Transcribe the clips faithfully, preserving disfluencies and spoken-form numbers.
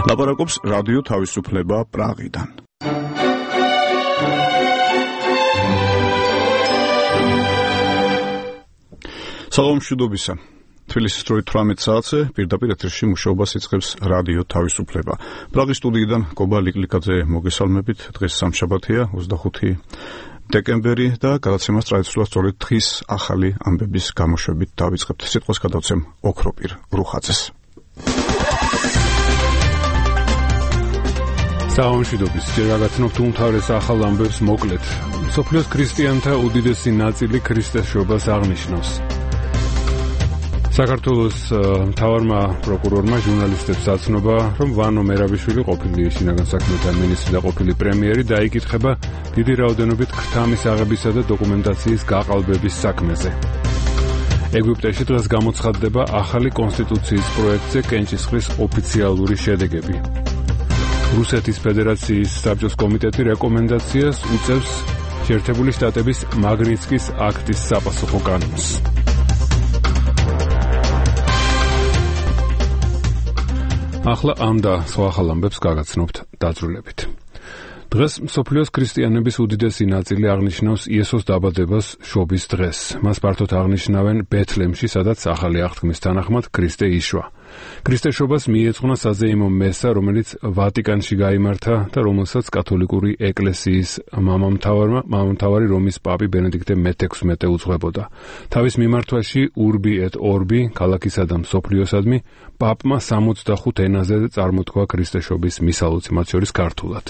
ლაპარაკობს რადიო თავისუფლება პრაღიდან. სალამ მშვიდობისა. თბილისის დროით თვრამეტ საათზე პირდაპირ ეთერში მუშაობას იწყებს რადიო თავისუფლება. პრაღის სტუდიიდან გობა ლიკლიკაძე მოგესალმებით. დღეს სამშაბათია, ოცდახუთი დეკემბერი და გადაცემას ტრადიციულად სწორედ დღის ახალი ამბების გამოშვებით დავიწყებთ. სიტყვას გადავცემ ოქროპირ რუხაძეს. სალამ მშვიდობის. ჯერ გაგაცნობთ უმთავრეს ახალ ამბებს მოკლედ. მსოფლიოს ქრისტიანთა უდიდესი ნაწილი ქრისტესშობას აღნიშნავს. საქართველოს მთავარმა პროკურორმა ჟურნალისტებს აცნობა, რომ ვანო მერაბიშვილი ყოფილი შინაგან საქმეთა მინისტრი და ყოფილი პრემიერი დაიკითხება დიდი რაოდენობით ქრთამის აღებისა და დოკუმენტაციის გაყალბების საქმეზე. ეგვიპტეში დღეს გამოცხადდება ახალი კონსტიტუციის პროექტზე კენჭისყრის ოფიციალური შედეგები. რუსეთის ფედერაციის საბჭოს კომიტეტი რეკომენდაციას უწევს შეერთებული შტატების მაგნიცკის აქტის საპასუხო კანონს. ახლა ამ და სხვა ახალ ამბებს გაგაცნობთ დაძრულებით. დღეს მსოფლიოს ქრისტიანების უდიდესი ნაწილი აღნიშნავს იესოს დაბადებას შობის დღეს. მას ფართოდ აღნიშნავენ ბეთლემში, სადაც ახალი აღთქმის თანახმად ქრისტე იშვა. ქრისტეშობას მიეძღვნა საზეიმო მესა, რომელიც ვატიკანში გაიმართა და რომელსაც კათოლიკური ეკლესიის მამამთავარმა, მამამთავარი რომის პაპი ბენედიქტე მეთექვსმეტე უძღვებოდა. თავის მიმართვაში ურბი ეტ ორბი, ქალაქისა და მსოფლიოსადმი, პაპმა სამოცდახუთ ენაზე წარმოთქვა ქრისტეშობის მისალოცი, მათ შორის ქართულად.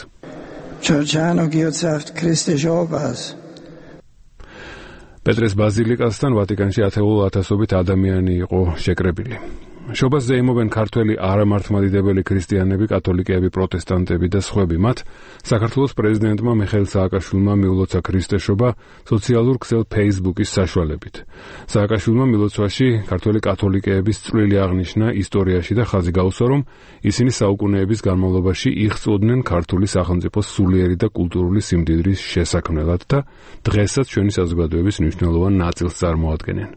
პეტრეს ბაზილიკასთან ვატიკანში ათეულ ათასობით ადამიანი იყო შეკრებილი. შობას ზეიმობენ ქართველი არამართლმადიდებელი ქრისტიანები, კათოლიკეები, პროტესტანტები და სხვები. მათ საქართველოს პრეზიდენტმა მიხეილ სააკაშვილმა მიულოცა ქრისტეშობა სოციალურ ქსელ ფეისბუქის საშუალებით. სააკაშვილმა მილოცვაში ქართველი კათოლიკეების წვლილი აღნიშნა ისტორიაში და ხაზი გაუსვა, რომ ისინი საუკუნეების განმავლობაში იღწვოდნენ ქართული სახელმწიფოს სულიერი და კულტურული სიმდიდრის შესაქმნელად და დღესაც ჩვენი საზოგადოების მნიშვნელოვან ნაწილს წარმოადგენენ.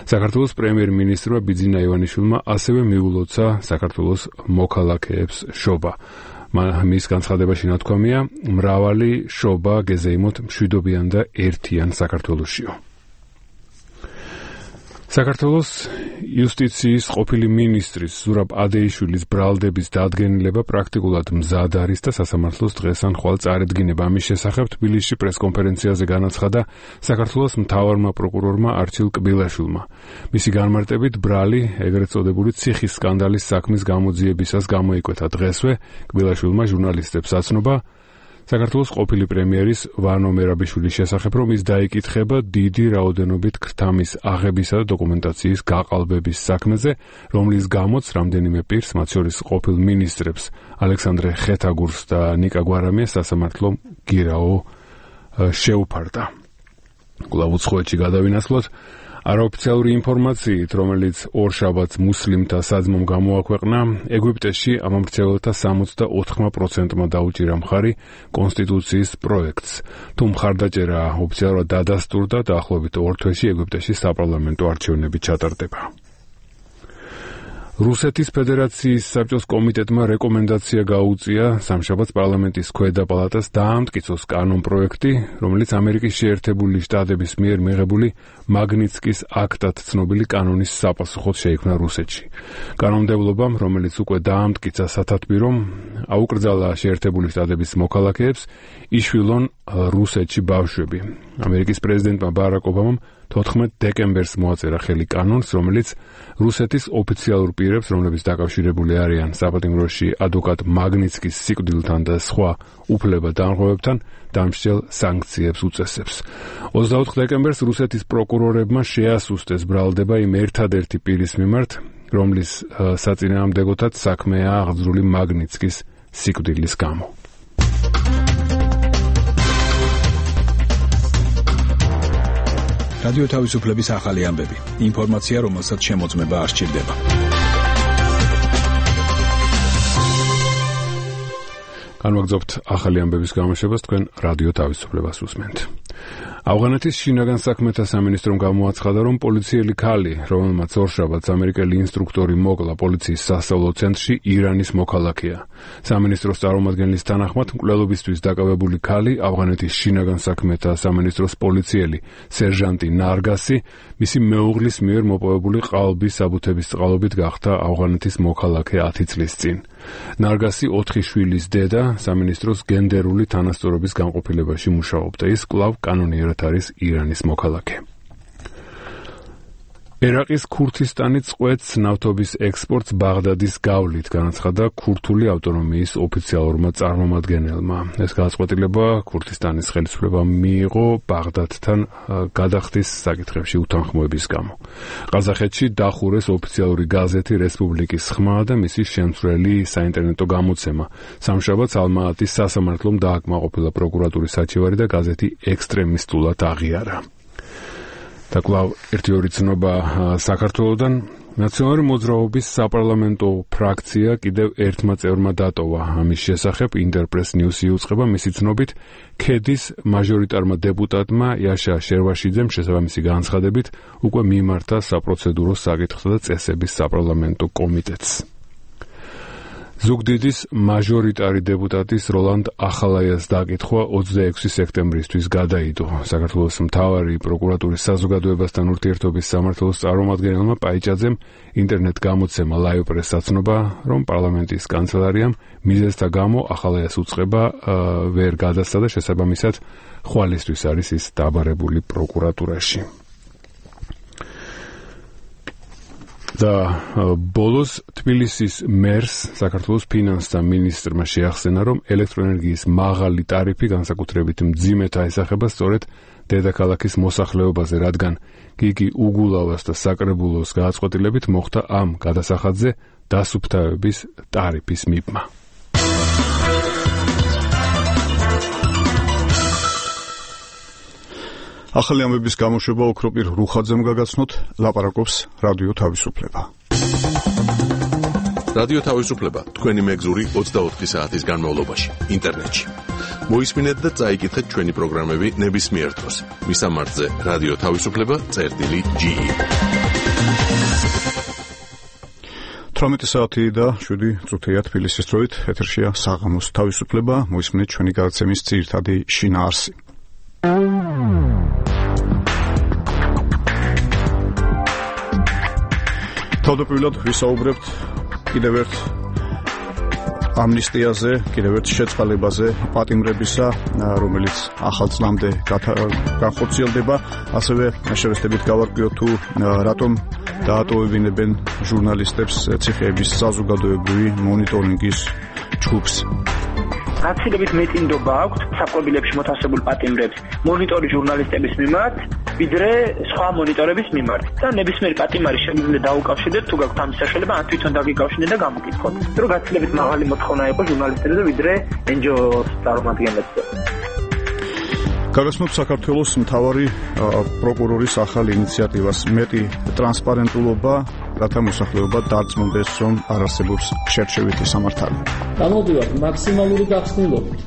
საქართველოს პრემიერ-მინისტრმა ბიძინა ივანიშვილმა ასევე მიულოცა საქართველოს მოქალაქეებს შობა. მის განცხადებაში ნათქვამია, მრავალი შობა გეზეიმოთ მშვიდობიან და ერთიან საქართველოშიო. საქართველოს იუსტიციის ყოფილი მინისტრის ზურაბ ადეიშვილის ბრალდების დადგენილება პრაქტიკულად მზად არის და სასამართლოს დღეს ან ხვალ წარედგინება. ამის შესახებ თბილისში პრესკონფერენციაზე განაცხადა საქართველოს მთავარმა პროკურორმა არჩილ კბილაშვილმა. მისი განმარტებით ბრალი ეგრეთ წოდებული ციხის სკანდალის საქმის გამოძიებისას გამოიკვეთა. დღესვე კბილაშვილმა ჟურნალისტებს აცნობა საქართველოს ყოფილი პრემიერის ვანო მერაბიშვილის შესახებ, რომ ის დაიკითხება დიდი რაოდენობით ქრთამის აღებისა და დოკუმენტაციის გაყალბების საქმეზე, რომლის გამოც რამდენიმე პირს, მათ შორის ყოფილ მინისტრებს ალექსანდრე ხეთაგურს და ნიკა გვარამიას სასამართლო გირაო შეუფარდა. კვლავ უცხოეთში გადავინაცვლოთ. არაოფიციალური ინფორმაციით, რომელიც ორშაბათს მუსლიმთა საძმომ გამოაქვეყნა, ეგვიპტეში ამომრჩეველთა სამოცდაოთხ პროცენტმა დაუჭირა მხარი კონსტიტუციის პროექტს. თუ მხარდაჭერა ოფიციალურად დადასტურდა, დაახლოებით ორ თვეში ეგვიპტეში საპარლამენტო არჩევნები ჩატარდება. რუსეთის ფედერაციის საბჭოს კომიტეტმა რეკომენდაცია გაუწია სამშაბათს პარლამენტის ქვედა პალატას დაამტკიცოს კანონპროექტი, რომელიც ამერიკის შეერთებული შტატების მიერ მიღებული მაგნიცკის აქტად ცნობილი კანონის საპასუხოდ შეიქმნა რუსეთში. კანონმდებლობამ, რომელიც უკვე დაამტკიცა სათათბირომ, აუკრძალა შეერთებული შტატების მოქალაქეებს იშვილონ რუსეთში ბავშვები. ამერიკის პრეზიდენტმა ბარაკ ობამამ თოთხმეტ დეკემბერს მოაწერა ხელი კანონს, რომელიც რუსეთის ოფიციალურ პირებს, რომლებიც დაკავშირებული არიან საპატიმროში ადვოკატ მაგნიცკის სიკვდილთან და სხვა უფლება-დანღმობებთან, დამსჯელ სანქციებს უწესებს. ოცდაოთხ დეკემბერს რუსეთის პროკურორებმა შეასუსტეს ბრალდება იმ ერთადერთი პირის მიმართ, რომლის საწინააღმდეგოთაც საქმეა აღძრული მაგნიცკის სიკვდილის გამო. რადიო თავისუფლების ახალი ამბები. ინფორმაცია, რომელსაც შემოწმება არ სჭირდება. განვაგრძობთ ახალი ამბების გამოშვებას, თქვენ რადიო თავისუფლებას უსმენთ. ავღანეთის შინაგან საქმეთა სამინისტრომ გამოაცხადა, რომ პოლიციელი ქალი, რომელმაც ორშაბათს ამერიკელი ინსტრუქტორი მოკლა პოლიციის სასწავლო ცენტრში, ირანის მოქალაქეა. სამინისტროს წარმომადგენლის თანახმად, მკვლელობისთვის დაკავებული ქალი, ავღანეთის შინაგან საქმეთა სამინისტროს პოლიციელი სერჟანტი ნარგასი, მისი მეუღლის მიერ მოპოვებული ყალბის საბუთების წყალობით გახდა ავღანეთის მოქალაქე ათი წლის წინ. ნარგასი ოთხი შვილის დედა, სამინისტროს გენდერული თანასწორობის განყოფილებაში მუშაობდა. ის კვლავ კანონიერად არის ირანის მოქალაქე. ერაყის ქურთისტანი წყვეტს ნავთობის ექსპორტს ბაღდადის გავლით, განაცხადა ქურთული ავტონომიის ოფიციალურმა წარმომადგენელმა. ეს გადაწყვეტილება ქურთისტანის ხელისუფლებამ მიიღო ბაღდადთან გადახდის საკითხებში უთანხმოების გამო. ყაზახეთში დახურეს ოფიციალური გაზეთი რესპუბლიკის ხმა და მისი შემცვლელი საინტერნეტო გამოცემა. სამშაბათს ალმა-ატის სასამართლომ დააკმაყოფილა პროკურატურის საჩივარი და გაზეთი ექსტრემისტულად აღიარა. და კვლავ ერთი ორი ცნობა საქართველოდან. ნაციონალური მოძრაობის საპარლამენტო ფრაქცია კიდევ ერთმა წევრმა დატოვა. ამის შესახებ ინტერპრეს ნიუსი იუწყება მისი ცნობით, ქედის მაჟორიტარმა დეპუტატმა იაშა შერვაშიძემ შესაბამისი განცხადებით უკვე მიმართა საპროცედურო საკითხთა და წესების საპარლამენტო კომიტეტს. ზუგდიდის მაჟორიტარი დეპუტატის როლანდ ახალაიას დაკითხვა ოცდაექვსი სექტემბრისთვის გადაიდო. საქართველოს მთავარი პროკურატურის საზოგადოებასთან ურთიერთობის სამმართველოს წარმომადგენელმა პაიჭაძემ ინტერნეტ გამოცემა ლაივ პრეს საცნობა, რომ პარლამენტის კანცელარიამ მიზეზთა გამო ახალაიას უწყება ვერ გადასცა და შესაბამისად ხვალისთვის არის ის დაბარებული პროკურატურაში. და ბოლოს თბილისის მერს საქართველოს ფინანსთა მინისტრმა შეახსენა, რომ ელექტროენერგიის მაღალი ტარიფი განსაკუთრებით მძიმედ აისახება სწორედ დედაქალაქის მოსახლეობაზე, რადგან გიგი უგულავას და საკრებულოს გადაწყვეტილებით მოხდა ამ გადასახადზე დასუფთავების ტარიფის მიბმა. ახალი ამბების გამოშვება ოქროპირ რუხაძემ გაგაცნოთ, ლაპარაკობს რადიო თავისუფლება. რადიო თავისუფლება თქვენი მეგზური ოცდაოთხი საათის განმავლობაში ინტერნეტში. მოისმინეთ და წაიკითხეთ ჩვენი პროგრამები ნებისმიერ დროს. მისამართზე რადიო თავისუფლება წერტილი ჯი ი. თვრამეტი საათი და შვიდი წუთია თბილისის დროით, ეთერშია საღამოს თავისუფლება, მოისმინეთ ჩვენი გადაცემის ძირითადი შინაარსი. თავდაპირველად ვისაუბრებთ კიდევ ერთ ამნისტიაზე, კიდევ ერთ შეწყალებაზე პატიმრებისა, რომელიც ახალ წლამდე განხორციელდება. ასევე შევესწრებით გავარკვიოთ თუ რატომ დაატოვებინებენ ჟურნალისტებს ციხეების საზოგადოებრივი მონიტორინგის ჯგუფს. გაცილებით მეტინდობა აქვს საკვებილებში მოთავსებულ პატიმრებს მონიტორი ჟურნალისტების მიმართ, ვიდრე სხვა მონიტორების მიმართ. და ნებისმიერი პატიმარი შეგვიძლია დაუკავშირდეთ, თუ გაქვთ ამის საშუალება, ან თვითონ დაგიკავშირდეთ და გამოგკითხოთ. რომ გაცილებით მაღალი მოთხოვნა იყო ჟურნალისტებზე, ვიდრე εν ჯი ოს წარმომადგენლებზე. გაგაცნობთ საქართველოს მთავარი პროკურორის ახალ ინიციატივას, მეტი ტრანსპარენტულობა, რათა მოსახლეობა დარწმუნდეს, რომ არ არსებობს შერჩევითი სამართალი. გამოდივართ მაქსიმალური გახსნილობით,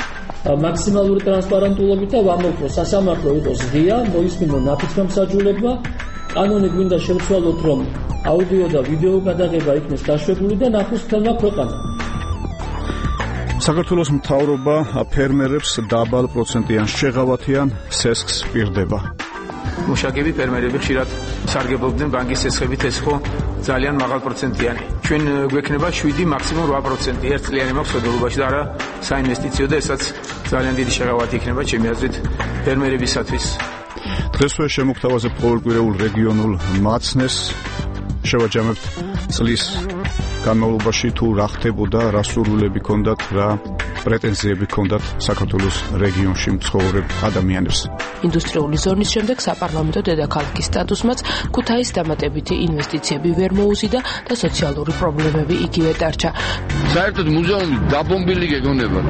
მაქსიმალური ტრანსპარენტულობით და ვამბობთ, რომ სასამართლო იყოს ღია, მოისმინო ნაფიც-გამსაჯულებმა, კანონი გვინდა შევცვალოთ, რომ აუდიო და ვიდეო გადაღება იქნეს დაშვებული და ნახოს მთელმა ქვეყანამ. საქართველოს მთავრობა ფერმერებს დაბალ პროცენტიან შეღავათიან სესხს პირდება. მუშაკები ფერმერები ხშირად სარგებლობდნენ ბანკის სესხებით, ეს ხო ძალიან მაღალ პროცენტიანი. ჩვენ გვექნება შვიდი მაქსიმუმ რვა პროცენტი ერთწლიანი მაქვს მხედველობაში და არა საინვესტიციო და ესაც ძალიან დიდი შეღავათი იქნება ჩემი აზრით ფერმერებისათვის. დღესვე შემოგთავაზებ ყოველკვირეულ რეგიონულ მაცნეს, შევაჯამებთ წლის განმავლობაში თუ რა ხდებოდა, რა სურვილები ჰქონდათ, რა პრეტენზიები ჰქონდათ საქართველოს რეგიონში მცხოვრებ ადამიანებს. ინდუსტრიული ზონის შემდეგ საპარლამენტო დედაქალაქის სტატუსმაც ქუთაის დამატებითი ინვესტიციები ვერ მოუზიდა და სოციალური პრობლემები იგივე დარჩა. საერთოდ მუზეუმი დაბომბილი გეგონება.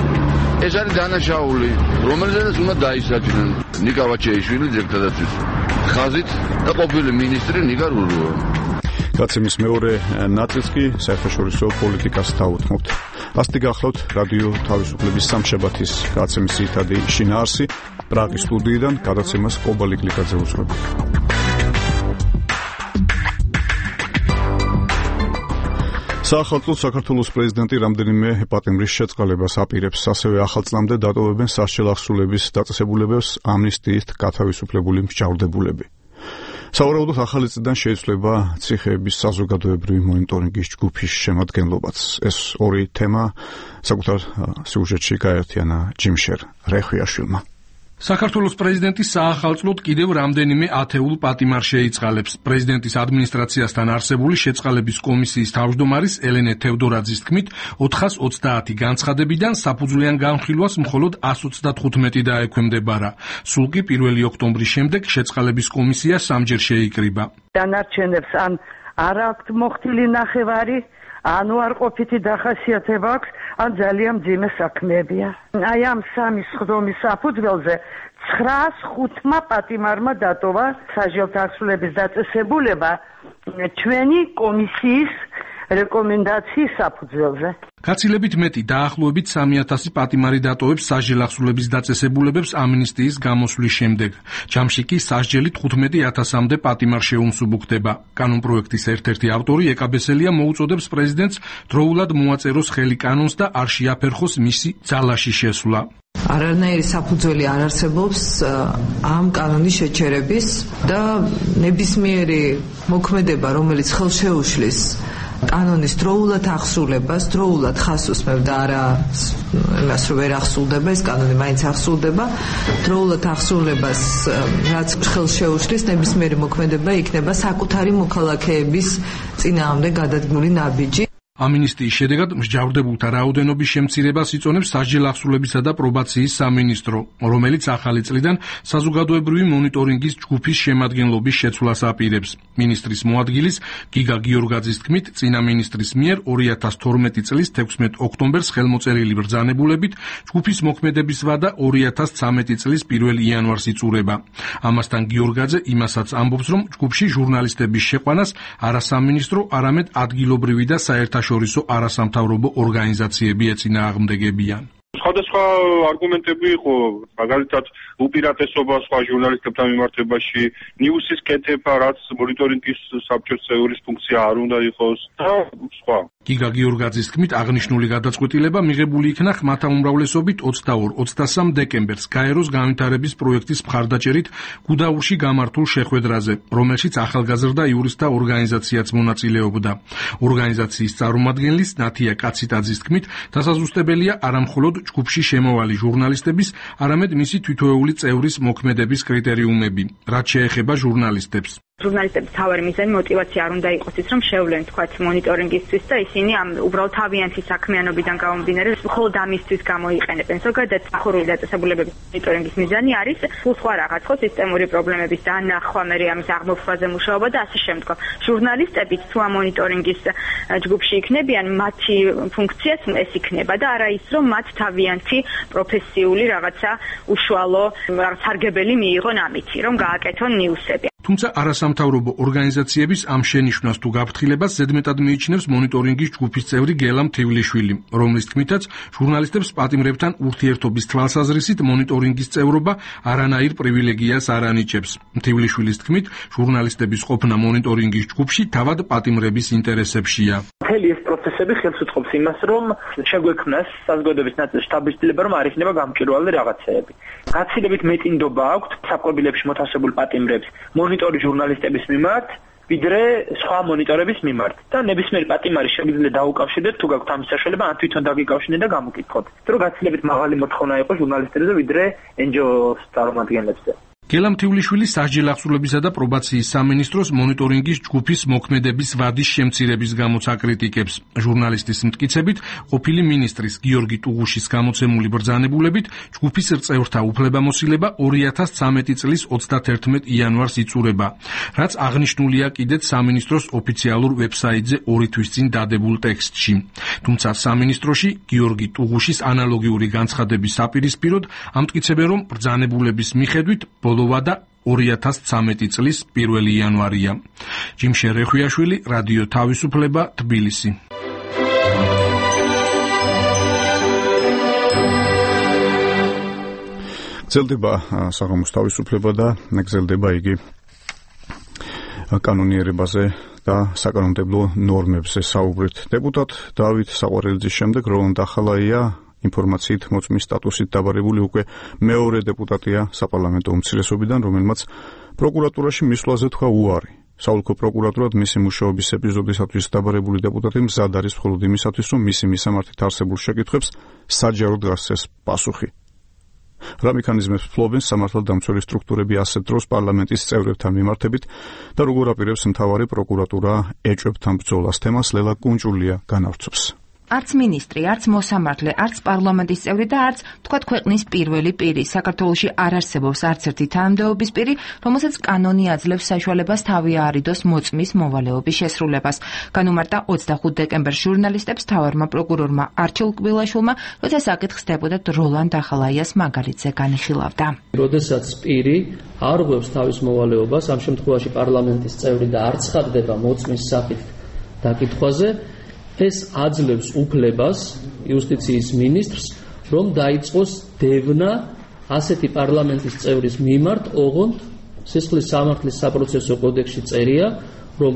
ეს არის დანაშაული, რომელზეც უნდა დაისაჯნენ ნიკა ვაჩეიშვილი ძირითადად ხაზით და ყოფილი მინისტრი ნიკა რურუა. გაცემის მეორე ნაწილს კი საერთაშორისო პოლიტიკას დაუთმობთ. ასეთი გახლავთ რადიო თავისუფლების სამშაბათის გადაცემის ძირითადი შინაარსი პრაღის სტუდიიდან გადაცემას კობალი გლიკაძე უძღვება. საახალწლოდ საქართველოს პრეზიდენტი რამდენიმე პატიმრის შეწყალებას აპირებს, ასევე ახალ წლამდე დატოვებენ სასჯელ აღსრულების დაწესებულებებს ამნისტიით გათავისუფლებული მსჯავრდებულები. სავარაუდოდ ახალი წლიდან შეიცვლება ციხეების საზოგადოებრივი მონიტორინგის ჯგუფის შემადგენლობაც. ეს ორი თემა საკუთარ სიუჟეტში გაერთიანა ჯიმშერ რეხვიაშვილმა. საქართველოს პრეზიდენტი საახალწლოდ კიდევ რამდენიმე ათეულ პატიმარს შეიწყალებს. პრეზიდენტის ადმინისტრაციასთან არსებული შეწყალების კომისიის თავმჯდომარის ელენე თევდორაძის თქმით, ოთხას ოცდაათი განცხადებიდან საფუძვლიან განხილვას მხოლოდ ასს ოცდათხუთმეტი დაექვემდებარა. სულ კი პირველი ოქტომბრის შემდეგ შეწყალების კომისია სამჯერ შეიკრიბა. დანარჩენებს ან არ აქვთ მოხდილი ნახევარი, ან უარყოფითი დახასიათება აქვს, ან ძალიან მძიმე საქმეებია. აი ამ სამი სხდომის საფუძველზე ცხრაას ხუთმა პატიმარმა დატოვა სასჯელთა აღსრულების დაწესებულება ჩვენი კომისიის რეკომენდაციის საფუძველზე. გაცილებით მეტი, დაახლოებით სამი ათასი პატიმარი დატოვებს სასჯელ აღსრულების დაწესებულებებს ამნისტიის გამოსვლის შემდეგ. ჯამში კი სასჯელი თხუთმეტი ათასამდე პატიმარ შეუმსუბუქდება. კანონპროექტის ერთ-ერთი ავტორი ეკაბესელია მოუწოდებს პრეზიდენტს დროულად მოაწეროს ხელი კანონს და არ შეაფერხოს მისი ძალაში შესვლა. არანაირი საფუძველი არ არსებობს ამ კანონის შეჩერების და ნებისმიერი მოქმედება, რომელიც ხელშეუშლის კანონის დროულად აღსრულებას, დროულად ხას უსმევდა, არა იმას რომ ვერ აღსრულდება, ეს კანონი მაინც აღსრულდება. დროულად აღსრულებას რაც ხელშეუშლის ნებისმიერი მოქმედება იქნება საკუთარი მოქალაქეების წინააღმდეგ გადადგმული ნაბიჯი. ამნისტიის შედეგად მსჯავრდებულთა რაოდენობის შემცირებას იწონებს სასჯელ აღსრულებისა და პრობაციის სამინისტრო, რომელიც ახალი წლიდან საზოგადოებრივი მონიტორინგის ჯგუფის შემადგენლობის შეცვლას აპირებს. მინისტრის მოადგილის გიგა გიორგაძის თქმით, წინა მინისტრის მიერ ორი ათას თორმეტი წლის თექვსმეტ ოქტომბერს ხელმოწერილი ბრძანებულებით ჯგუფის მოქმედების ვადა ორი ათას ცხრამეტი წლის პირველ იანვარს იწურება. ამასთან გიორგაძე იმასაც ამბობს, რომ ჯგუფში ჟურნალისტების შეყვანას არა სამინისტრო, არამედ ადგილობრივი და საერთაშორისო შორისო არასამთავრობო ორგანიზაციები ეწინააღმდეგებიან. სხვადასხვა არგუმენტები იყო, მაგალითად უპირატესობა სხვა ჟურნალისტებთან მიმართებაში, ნიუსის კეთება, რაც მონიტორინგის საბჭოს წევრის ფუნქცია არ უნდა იყოს და სხვა. გიგა გიორგაძის თქმით, აღნიშნული გადაწყვეტილება მიღებული იქნა ხმათა უმრავლესობით ოცდაორ ოცდასამ დეკემბერს გაეროს განვითარების პროექტის მხარდაჭერით გუდაურში გამართულ შეხვედრაზე, რომელშიც ახალგაზრდა იურისტთა ორგანიზაციაც მონაწილეობდა. ორგანიზაციის წარმომადგენლის ნათია კაციტაძის თქმით, დასაზუსტებელია არამხოლოდ ჯგუფში შემოვალი ჟურნალისტების, არამედ მისი თითოეული წევრის მოქმედების კრიტერიუმები, რაც შეეხება ჟურნალისტებს. ჟურნალისტების თავარი მიზანი მოტივაცია არ უნდა იყოს ის, რომ შევლენ თქვათ მონიტორინგისთვის და ისინი ამ უბრალოდ თავიანთი საქმიანობიდან გამომდინარე მხოლოდ ამისთვის გამოიყენებენ. ზოგადად სახურული დაწესებულებების მონიტორინგის მიზანი არის სულ სხვა რაღაც, ხო, სისტემური პრობლემების დანახვა, მე ამის აღმოფხვაზე მუშაობა და ასე შემდგომ. ჟურნალისტებიც თუ ამ მონიტორინგის ჯგუფში იქნებიან, მათი ფუნქციაც ეს იქნება და არა ის, რომ მათ თავიანთი პროფესიული რაღაცა უშუალო რაღაც სარგებელი მიიღონ ამითი, რომ გააკეთონ ნიუსები. თუმცა არასამთავრობო ორგანიზაციების ამ შენიშვნას თუ გაფრთხილებას ზედმეტად მიიჩნევს მონიტორინგის ჯგუფის წევრი გელა მთივლიშვილი, რომლის თქმითაც ჟურნალისტებს პატიმრებთან ურთიერთობის თვალსაზრისით მონიტორინგის წევრობა არანაირ პრივილეგიას არ ანიჭებს. მთივლიშვილის თქმით, ჟურნალისტების ყოფნა მონიტორინგის ჯგუფში თავად პატიმრების ინტერესებშია. მთელი ეს პროცესები ხელს უწყობს იმას, რომ შეგვექმნას საზოგადოების ნაწილში დაბეჭდილება, რომ არ იქნება გამჭვირვალე რაღაცეები. გაცილებით მეტი ნდობა აქვთ საკვებილებში მოთავსებულ პატიმრებს მონიტორი ჟურნალისტების მიმართ, ვიდრე სხვა მონიტორების მიმართ. და ნებისმიერი პატიმარი შეგვიძლია დაუკავშირდეთ, თუ გაქვთ ამის საშუალება, ან თვითონ დაგიკავშირდეთ და გამოკითხოთ. რომ გაცილებით მაღალი მოთხოვნა იყოს ჟურნალისტებზე, ვიდრე εν ჯი ოს წარმომადგენლებზე. გელა მთივლიშვილი სასჯელ აღსრულებისა და პრობაციის სამინისტროს მონიტორინგის ჯგუფის მოქმედების ვადის შემცირების გამოც აკრიტიკებს. ჟურნალისტის მტკიცებით, ყოფილი მინისტრის გიორგი ტუღუშის გამოცემული ბრძანებულებით ჯგუფის წევრთა უფლებამოსილება ორი ათას ცხრამეტი წლის ოცდათერთმეტ იანვარს იწურება, რაც აღნიშნულია კიდეც სამინისტროს ოფიციალურ ვებსაიტზე ორი თვის წინ დადებულ ტექსტში. თუმცა სამინისტროში გიორგი ტუღუშის ანალოგიური განცხადების საპირისპიროდ ამტკიცებენ, რომ ბრძანებულების მიხედვით ბოლოვა და ორი ათას ცხრამეტი წლის პირველი იანვარია. ჯიმშერ რეხვიაშვილი, რადიო თავისუფლება, თბილისი. გრძელდება საღამოს თავისუფლება და გრძელდება იგი კანონიერებაზე და საკანონმდებლო ნორმებზე საუბრით. დეპუტატ დავით საყვარელიძის შემდეგ როლანდ ახალაია ინფორმაციით მოწმის სტატუსით დაბარებული უკვე მეორე დეპუტატია საპარლამენტო უმცირესობიდან, რომელმაც პროკურატურაში მისვლაზე თქვა უარი. საოლქო პროკურატურად მისი მუშაობის ეპიზოდისათვის დაბარებული დეპუტატი მზად არის მხოლოდ იმისათვის, რომ მისი მისამართით არსებულ შეკითხვებს საჯაროდ გასცეს პასუხი. რა მექანიზმებს ფლობენ სამართალდამცველი სტრუქტურები ასეთ დროს პარლამენტის წევრებთან მიმართებით და როგორ აპირებს მთავარი პროკურატურა ეჭვებთან ბრძოლას, თემას ლელა კუნჭულია განავრცობს. არც მინისტრი, არც მოსამართლე, არც პარლამენტის წევრი და არც თქვათ ქვეყნის პირველი პირი. საქართველოში არ არსებობს არც ერთი თანამდებობის პირი, რომელსაც კანონი აძლევს საშუალებას თავი აარიდოს მოწმის მოვალეობის შესრულებას. განუმარტა ოცდახუთ დეკემბერს ჟურნალისტებს მთავარმა პროკურორმა არჩილ კბილაშვილმა, როცა საკითხს დეპუტატ როლანდ ახალაიას მაგალითზე განიხილავდა. როდესაც პირი არ ღვევს თავის მოვალეობას, ამ შემთხვევაში პარლამენტის წევრი და არ ცხადდება მოწმის სახით დაკითხვაზე, ეს აძლევს უფლებას იუსტიციის მინისტრს, რომ დაიწყოს დევნა ასეთი პარლამენტის წევრის მიმართ, ოღონდ სისხლის სამართლის საპროცესო კოდექსში წერია, რომ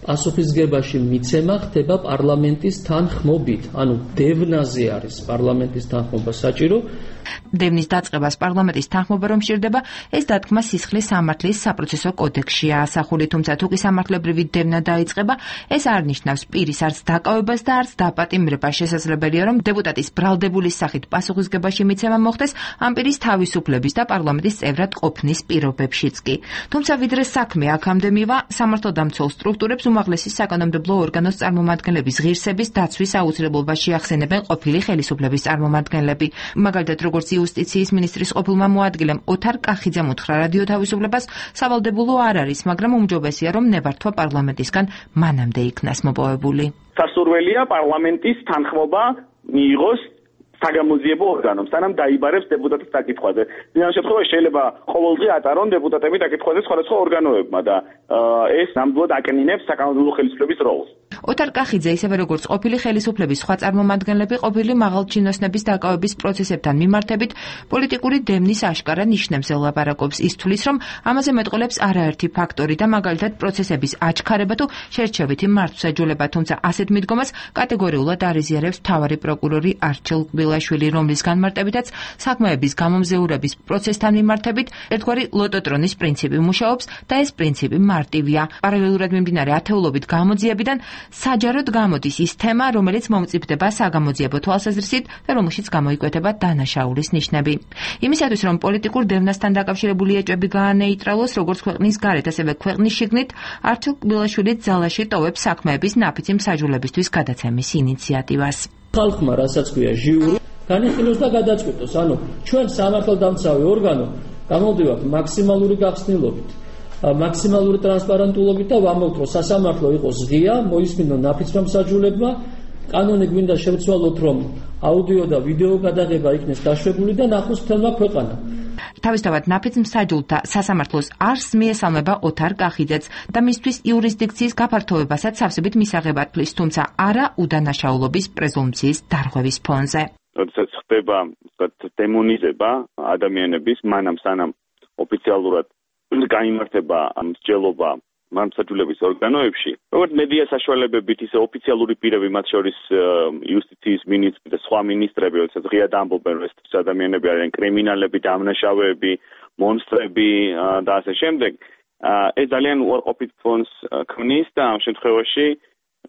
პასუხისგებაში მიცემა ხდება პარლამენტის თანხმობით, ანუ დევნაზე არის პარლამენტის თანხმობა საჭირო. დევნის დაწყებას პარლამენტის თანხმობა რომ სჭირდება, ეს დათქმა სისხლის სამართლის საპროცესო კოდექსშია ასახული, თუმცა თუ კი სამართლებრივი დევნა დაიწყება, ეს არ ნიშნავს პირის არც დაკავებას და არც დაპატიმრებას. შესაძლებელია, რომ დეპუტატის ბრალდებულის სახით პასუხისგებაში მიცემა მოხდეს ამ პირის თავისუფლების და პარლამენტის წევრად ყოფნის პირობებშიც კი. თუმცა ვიდრე საქმე აქამდე მივა, სამართალდამცველ სტრუქტურებს უმაღლესი საკანონმდებლო ორგანოს წარმომადგენლების ღირსების დაცვის აუცილებლობას შეახსენებენ ყოფილი ხელისუფლების წარმომადგენლები. მაგალითად, როგორც იუსტიციის მინისტრის ყოფილმა მოადგილემ ოთარ კახიძემ უთხრა რადიო თავისუფლებას, სავალდებულო არ არის, მაგრამ უმჯობესია, რომ ნებართვა პარლამენტისგან მანამდე იქნას მოპოვებული. სასურველია პარლამენტის თანხმობა მიიღოს საგამოძიებო ორგანომ, სანამ დაიბარებს დეპუტატის საკითხვაზე. ამ შემთხვევაში შეიძლება ყოველდღე ატარონ დეპუტატები საკითხვაზე სხვადასხვა ორგანოებმა და ეს ნამდვილად აკნინებს საკანონმდებლო ხელისუფლების როლს. ოთარ კახიძე, ისევე როგორც ყოფილი ხელისუფლების სხვა წარმომადგენლები, ყოფილი მაღალჩინოსნების დაკავების პროცესებთან მიმართებით პოლიტიკური დევნის აშკარა ნიშნებს ელაპარაკობს. ის თვლის, რომ ამაზე მეტყოლებს არაერთი ფაქტორი და მაგალითად პროცესების აჩქარება თუ შერჩევითი მართვსაჯულება, თუმცა ასეთ მიდგომას კატეგორიულად არიზიარებს მთავარი პროკურორი არჩილ კბილაშვილი, რომლის განმარტებითაც საქმეების გამომზეურების პროცესთან მიმართებით ერთგვარი ლოტოტრონის პრინციპი მუშაობს და ეს პრინციპი მარტივია. პარალელურად მიმდინარე ათეულობით გამოძიებიდან საჯაროდ გამოდის ის თემა, რომელიც მომწიფდება საგამოძიებო თვალსაზრისით და რომელშიც გამოიკვეთება დანაშაულის ნიშნები. იმისათვის, რომ პოლიტიკურ დევნასთან დაკავშირებული ეჭვები გაანეიტრალოს, როგორც ქვეყნის გარეთ, ასევე ქვეყნის შიგნით, არჩილ კბილაშვილი ძალაში ტოვებს საქმეების ნაფიცი მსაჯულებისთვის გადაცემის ინიციატივას. ხალხმა, რასაც ქვია ჟიური, განიხილოს და გადაწყვიტოს, ანუ ჩვენ სამართალდამცავი ორგანო გამოვდივართ მაქსიმალური გახსნილობით, მაქსიმალური ტრანსპარენტულობით და ვამბობთ, რომ სასამართლო იყოს ღია, მოისმინონ ნაფიცმა მსაჯულებმა, კანონი გვინდა შევცვალოთ, რომ აუდიო და ვიდეო გადაღება იქნეს დაშვებული და ნახოს მთელმა ქვეყანამ. თავისთავად ნაფიც მსაჯულთა სასამართლოს არსს მიესალმება ოთარ კახიძეც და მისთვის იურისდიქციის გაფართოვებასაც სავსებით მისაღებად თვლის, თუმცა არა უდანაშაულობის პრეზუმპციის დარღვევის ფონზე. როდესაც ხდება დემონიზება ადამიანების, მანამ სანამ ოფიციალურად გაიმართება მსჯელობა მართლმსაჯულების ორგანოებში, როგორც მედია საშუალებებით, ისე ოფიციალური პირები, მათ შორის იუსტიციის მინისტრი და სხვა მინისტრები, როდესაც ღიად ამბობენ, რომ ეს ადამიანები არიან კრიმინალები, დამნაშავეები, მონსტრები და ასე შემდეგ, ეს ძალიან უარყოფით ფონს ქმნის და ამ შემთხვევაში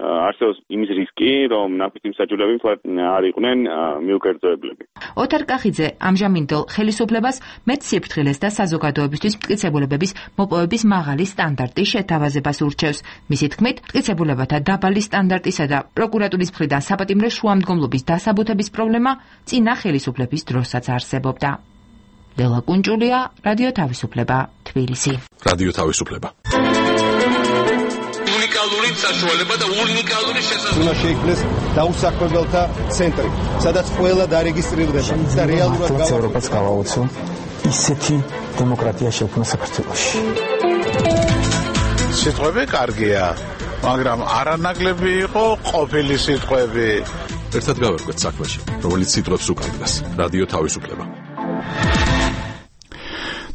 არსებობს იმის რისკი, რომ ნაფიცი მსაჯულები არ იყვნენ მიუკერძოებლები. ოთარ კახიძე ამჟამინდელ ხელისუფლებას მეტ სიფრთხილეს და საზოგადოებისთვის მტკიცებულებების მოპოვების მაღალი სტანდარტის შეთავაზებას ურჩევს. მისი თქმით, მტკიცებულებათა დაბალი სტანდარტისა და პროკურატურის მხრიდან საპატიმრო შუამდგომლობის დასაბუთების პრობლემა წინა ხელისუფლების დროსაც არსებობდა. ლელა კუნჭულია, რადიო თავისუფლება, თბილისი. რადიო თავისუფლება. უნიკალური საშუალება და უნიკალური შესაძლებლობა. უნდა შეიქმნეს დაუსაქმებელთა ცენტრი, სადაც ყველა დარეგისტრირდება და რეალურად ევროპას გავაოცო ისეთი დემოკრატია შექმნა საქართველოში. სიტყვები კარგია, მაგრამ არანაკლები იყო ყოფილი სიტყვები. ერთად გავერკვეთ საქმეში, რომელიც სიტყვებს უკარგავს. რადიო თავისუფლება.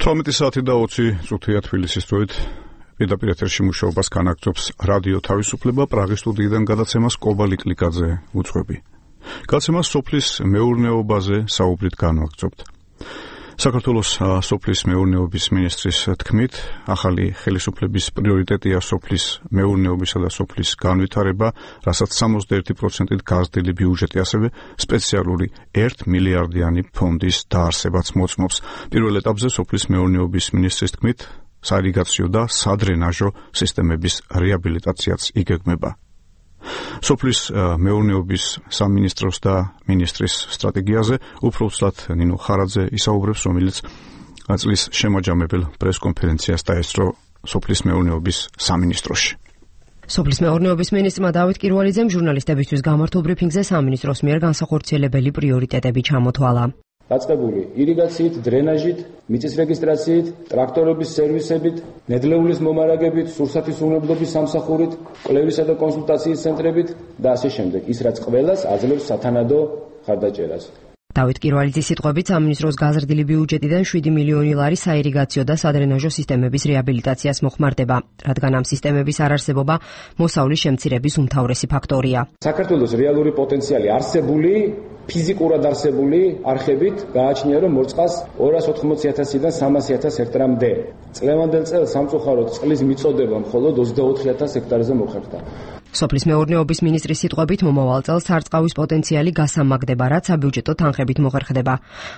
თხუთმეტი საათი და ოცი წუთია თბილისის დროით. პირდაპირ ეთერში მუშაობას განაგრძობს რადიო თავისუფლება. პრაღის სტუდიიდან გადაცემას კობა ლიკლიკაძე უძღვები. გადაცემას სოფლის მეურნეობაზე საუბრით განვაგრძობთ. საქართველოს სოფლის მეურნეობის მინისტრის თქმით, ახალი ხელისუფლების პრიორიტეტია სოფლის მეურნეობისა და სოფლის განვითარება, რასაც სამოცდაერთი პროცენტით გაზრდილი ბიუჯეტი, ასევე სპეციალური ერთ მილიარდიანი ფონდის დაარსებაც მოწმობს. პირველ ეტაპზე სოფლის მეურნეობის მინისტრის თქმით, საირიგაციო და სადრენაჟო სისტემების რეაბილიტაციაც იგეგმება. სოფლის მეურნეობის სამინისტროს და მინისტრის სტრატეგიაზე უფრო უცლად ნინო ხარაძე ისაუბრებს, რომელიც წლის შემაჯამებელ პრესკონფერენციას დაესწრო სოფლის მეურნეობის სამინისტროში. სოფლის მეურნეობის მინისტრმა დავით კირვალიძემ ჟურნალისტებისთვის გამართულ ბრიფინგზე სამინისტროს მიერ განსახორციელებელი პრიორიტეტები ჩამოთვალა. დაწყებული ირიგაციით, დრენაჟით, მიწის რეგისტრაციით, ტრაქტორების სერვისებით, ნედლეულის მომარაგებით, სურსათის უვნებლობის სამსახურით, კვლევისა და კონსულტაციის ცენტრებით და ასე შემდეგ. ის რაც ყველას აძლევს სათანადო ხარდაჭერას. დავით კირვალიძის სიტყვებით, სამინისტროს გაზრდილი ბიუჯეტიდან შვიდი მილიონი ლარი საირიგაციო და სადრენაჟო სისტემების რეაბილიტაციას მოხმარდება, რადგან ამ სისტემების არარსებობა მოსავლის შემცირების უმთავრესი ფაქტორია. საქართველოს რეალური პოტენციალი არსებული ფიზიკურად არსებული არხებით გააჩნია, რომ მორწყას ორას ოთხმოცი ათასიდან სამასი ათას ჰექტარამდე. წლევანდელ წელს სამწუხაროდ წყლის მიწოდება მხოლოდ ოცდაოთხი ათას ჰექტარზე მოხერხდა. სოფლის მეურნეობის მინისტრის სიტყვებით, მომავალ წელს სარწყავის პოტენციალი გასამაგდება, რაც საბიუჯეტო თანხებით მოხერხდება.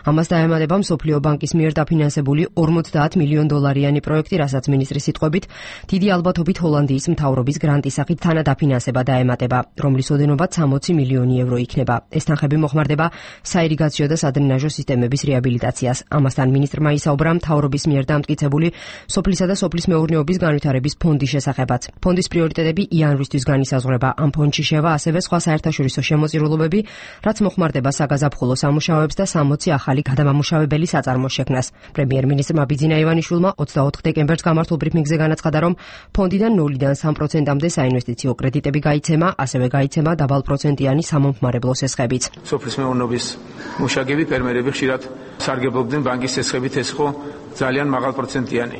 ამას დაემატება მსოფლიო ბანკის მიერ დაფინანსებული ორმოცდაათ მილიონ დოლარიანი პროექტი, რასაც მინისტრის სიტყვებით დიდი ალბათობით ჰოლანდიის მთავრობის გრანტის სახით თანადაფინანსება დაემატება, რომლის ოდენობაც სამოცი მილიონი ევრო იქნება. ეს თანხები მოხმარდება საირიგაციო და სადრენაჟო სისტემების რეაბილიტაციას. ამასთან მინისტრმა ისაუბრა მთავრობის მიერ დამტკიცებული სოფლისა და სოფლის მეურნეობის განვითარების ფონდის შესახებაც. ფონდის პრიორიტეტები იანვრისთვის განისაზღვრება. ამ ფონდში შევა ასევე სხვა საერთაშორისო შემოწირულობები, რაც მოხმარდება საგაზაფხულო სამუშაოებს და სამოცი ახალი გადამამუშავებელი საწარმოს შექმნას. პრემიერ-მინისტრმა ბიძინა ივანიშვილმა ოცდაოთხ დეკემბერს გამართულ ბრიფინგზე განაცხადა, რომ ფონდიდან ნულიდან სამ პროცენტამდე საინვესტიციო კრედიტები გაიცემა, ასევე გაიცემა დაბალპროცენტიანი სამომხმარებლო სესხებიც. სოფლის მეურნეობის მუშაკები, ფერმერები ხშირად სარგებლობდნენ ბანკის სესხებით, ეს ხო ძალიან მაღალპროცენტიანი.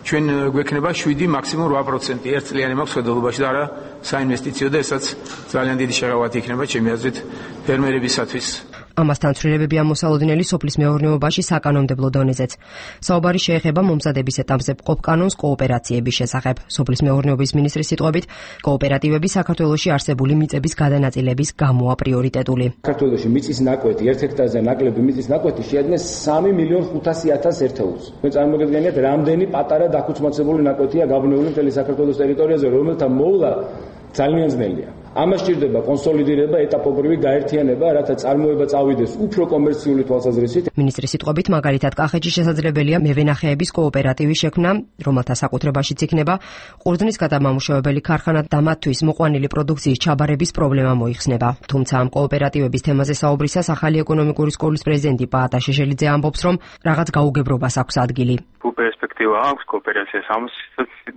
ჩვენ გვექნება შვიდი მაქსიმუმ რვა პროცენტი ერთწლიანი მაქვს ხედულობაში და არა საინვესტიციო და ესაც ძალიან დიდი შეღავათი იქნება ჩემი აზრით ფერმერებისათვის. ამასთან ცვლილებებია მოსალოდნელი სოფლის მეურნეობაში საკანონმდებლო დონეზეც. საუბარი შეეხება მომზადების ეტაპზე მყოფ კანონს კოოპერაციების შესახებ. სოფლის მეურნეობის მინისტრის სიტყვებით, კოოპერატივები საქართველოში არსებული მიწების გადანაწილების გამოა პრიორიტეტული. საქართველოში მიწის ნაკვეთი, ერთ ჰექტარზე ნაკლები მიწის ნაკვეთი შეადგენს სამი მილიონ ხუთასი ათას ერთეულს. მე წარმოგიდგენიათ, რამდენი პატარა დაქუცმაცებული ნაკვეთია გაბნეული მთელი საქართველოს ტერიტორიაზე, რომელთა მოვლა ძალიან ძნელია. ამას სჭირდება კონსოლიდირება, ეტაპობრივი გაერთიანება, რათა წარმოება წავიდეს უფრო კომერციული თვალსაზრისით. მინისტრის სიტყვებით, მაგალითად, კახეთში შესაძლებელია მევენახეების კოოპერატივის შექმნა, რომელთა საკუთრებაშიც იქნება ყურძნის გადამამუშავებელი ქარხანა და მათთვის მოყვანილი პროდუქციის ჩაბარების პრობლემა მოიხსნება. თუმცა ამ კოოპერატივების თემაზე საუბრისას ახალი ეკონომიკური სკოლის პრეზიდენტი პაატა შეშელიძე ამბობს, რომ რაღაც გაუგებრობას აქვს ადგილი. პერსპექტივა აქვს კოოპერაციას, ამას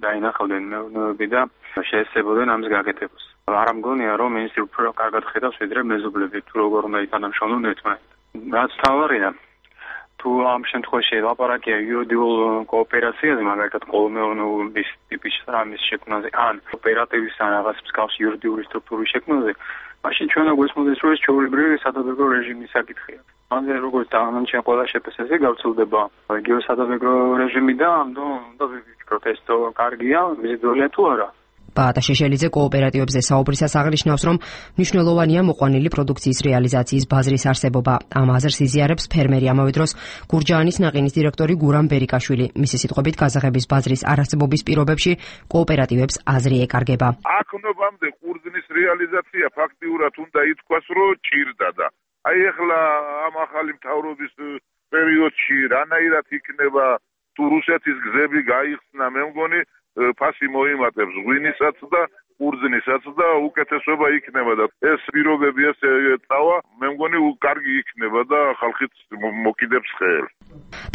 დაინახავდნენ მეურნეობები და შეესწებოდნენ ამის გაკეთებას. არ ამგონია, რომ მინისტრი უფრო კარგად ხედავს ვიდრე მეზობლები, თუ როგორ უნდა ითანამშრომლონ ერთმანეთთან. რაც თავარია, თუ ამ შემთხვევაში ლაპარაკია იურიდიულ კოოპერაციაზე, მაგალითად კოლმეურნეობის ტიპის რამის შექმნაზე, ან კოოპერატივის ან რაღაც მსგავსი იურიდიული სტრუქტურის შექმნაზე, მაშინ ჩვენ გვესმოდეს, რომ ეს ჩვეულებრივი სადავეგრო რეჟიმის საკითხია. მანზე როგორც თანამშრომლობა ყველა შეფასებაზე გავრცელდება რეგიონის სადავეგრო რეჟიმი და ამიტომ ვიფიქროთ, ეს თო კარგია, მიზიდულია თუ არა. პაატა შეშელიძე კოოპერატივებზე საუბრისას აღნიშნავს, რომ მნიშვნელოვანია მოყვანილი პროდუქციის რეალიზაციის ბაზრის არსებობა. ამ აზრს იზიარებს ფერმერი, ამავე დროს გურჯაანის ნაყინის დირექტორი გურამ ბერიკაშვილი. მისი სიტყვებით, გაზაღების ბაზრის არარსებობის პირობებში კოოპერატივებს აზრი ეკარგება. აქ ნობამდე ყურძნის რეალიზაცია ფაქტიურად უნდა ითქვას, რომ ჭირდა და აი ახლა ამ ახალი მთავრობის პერიოდში რანაირად იქნება თუ რუსეთის გზები გაიხსნა, მე მგონი ფასი მოიმატებს ღვინისაც და ყურძნისაც და უკეთესობა იქნება და ეს პირობები ეს წავა, მე მგონი კარგი იქნება და ხალხიც მოკიდებს ხელს.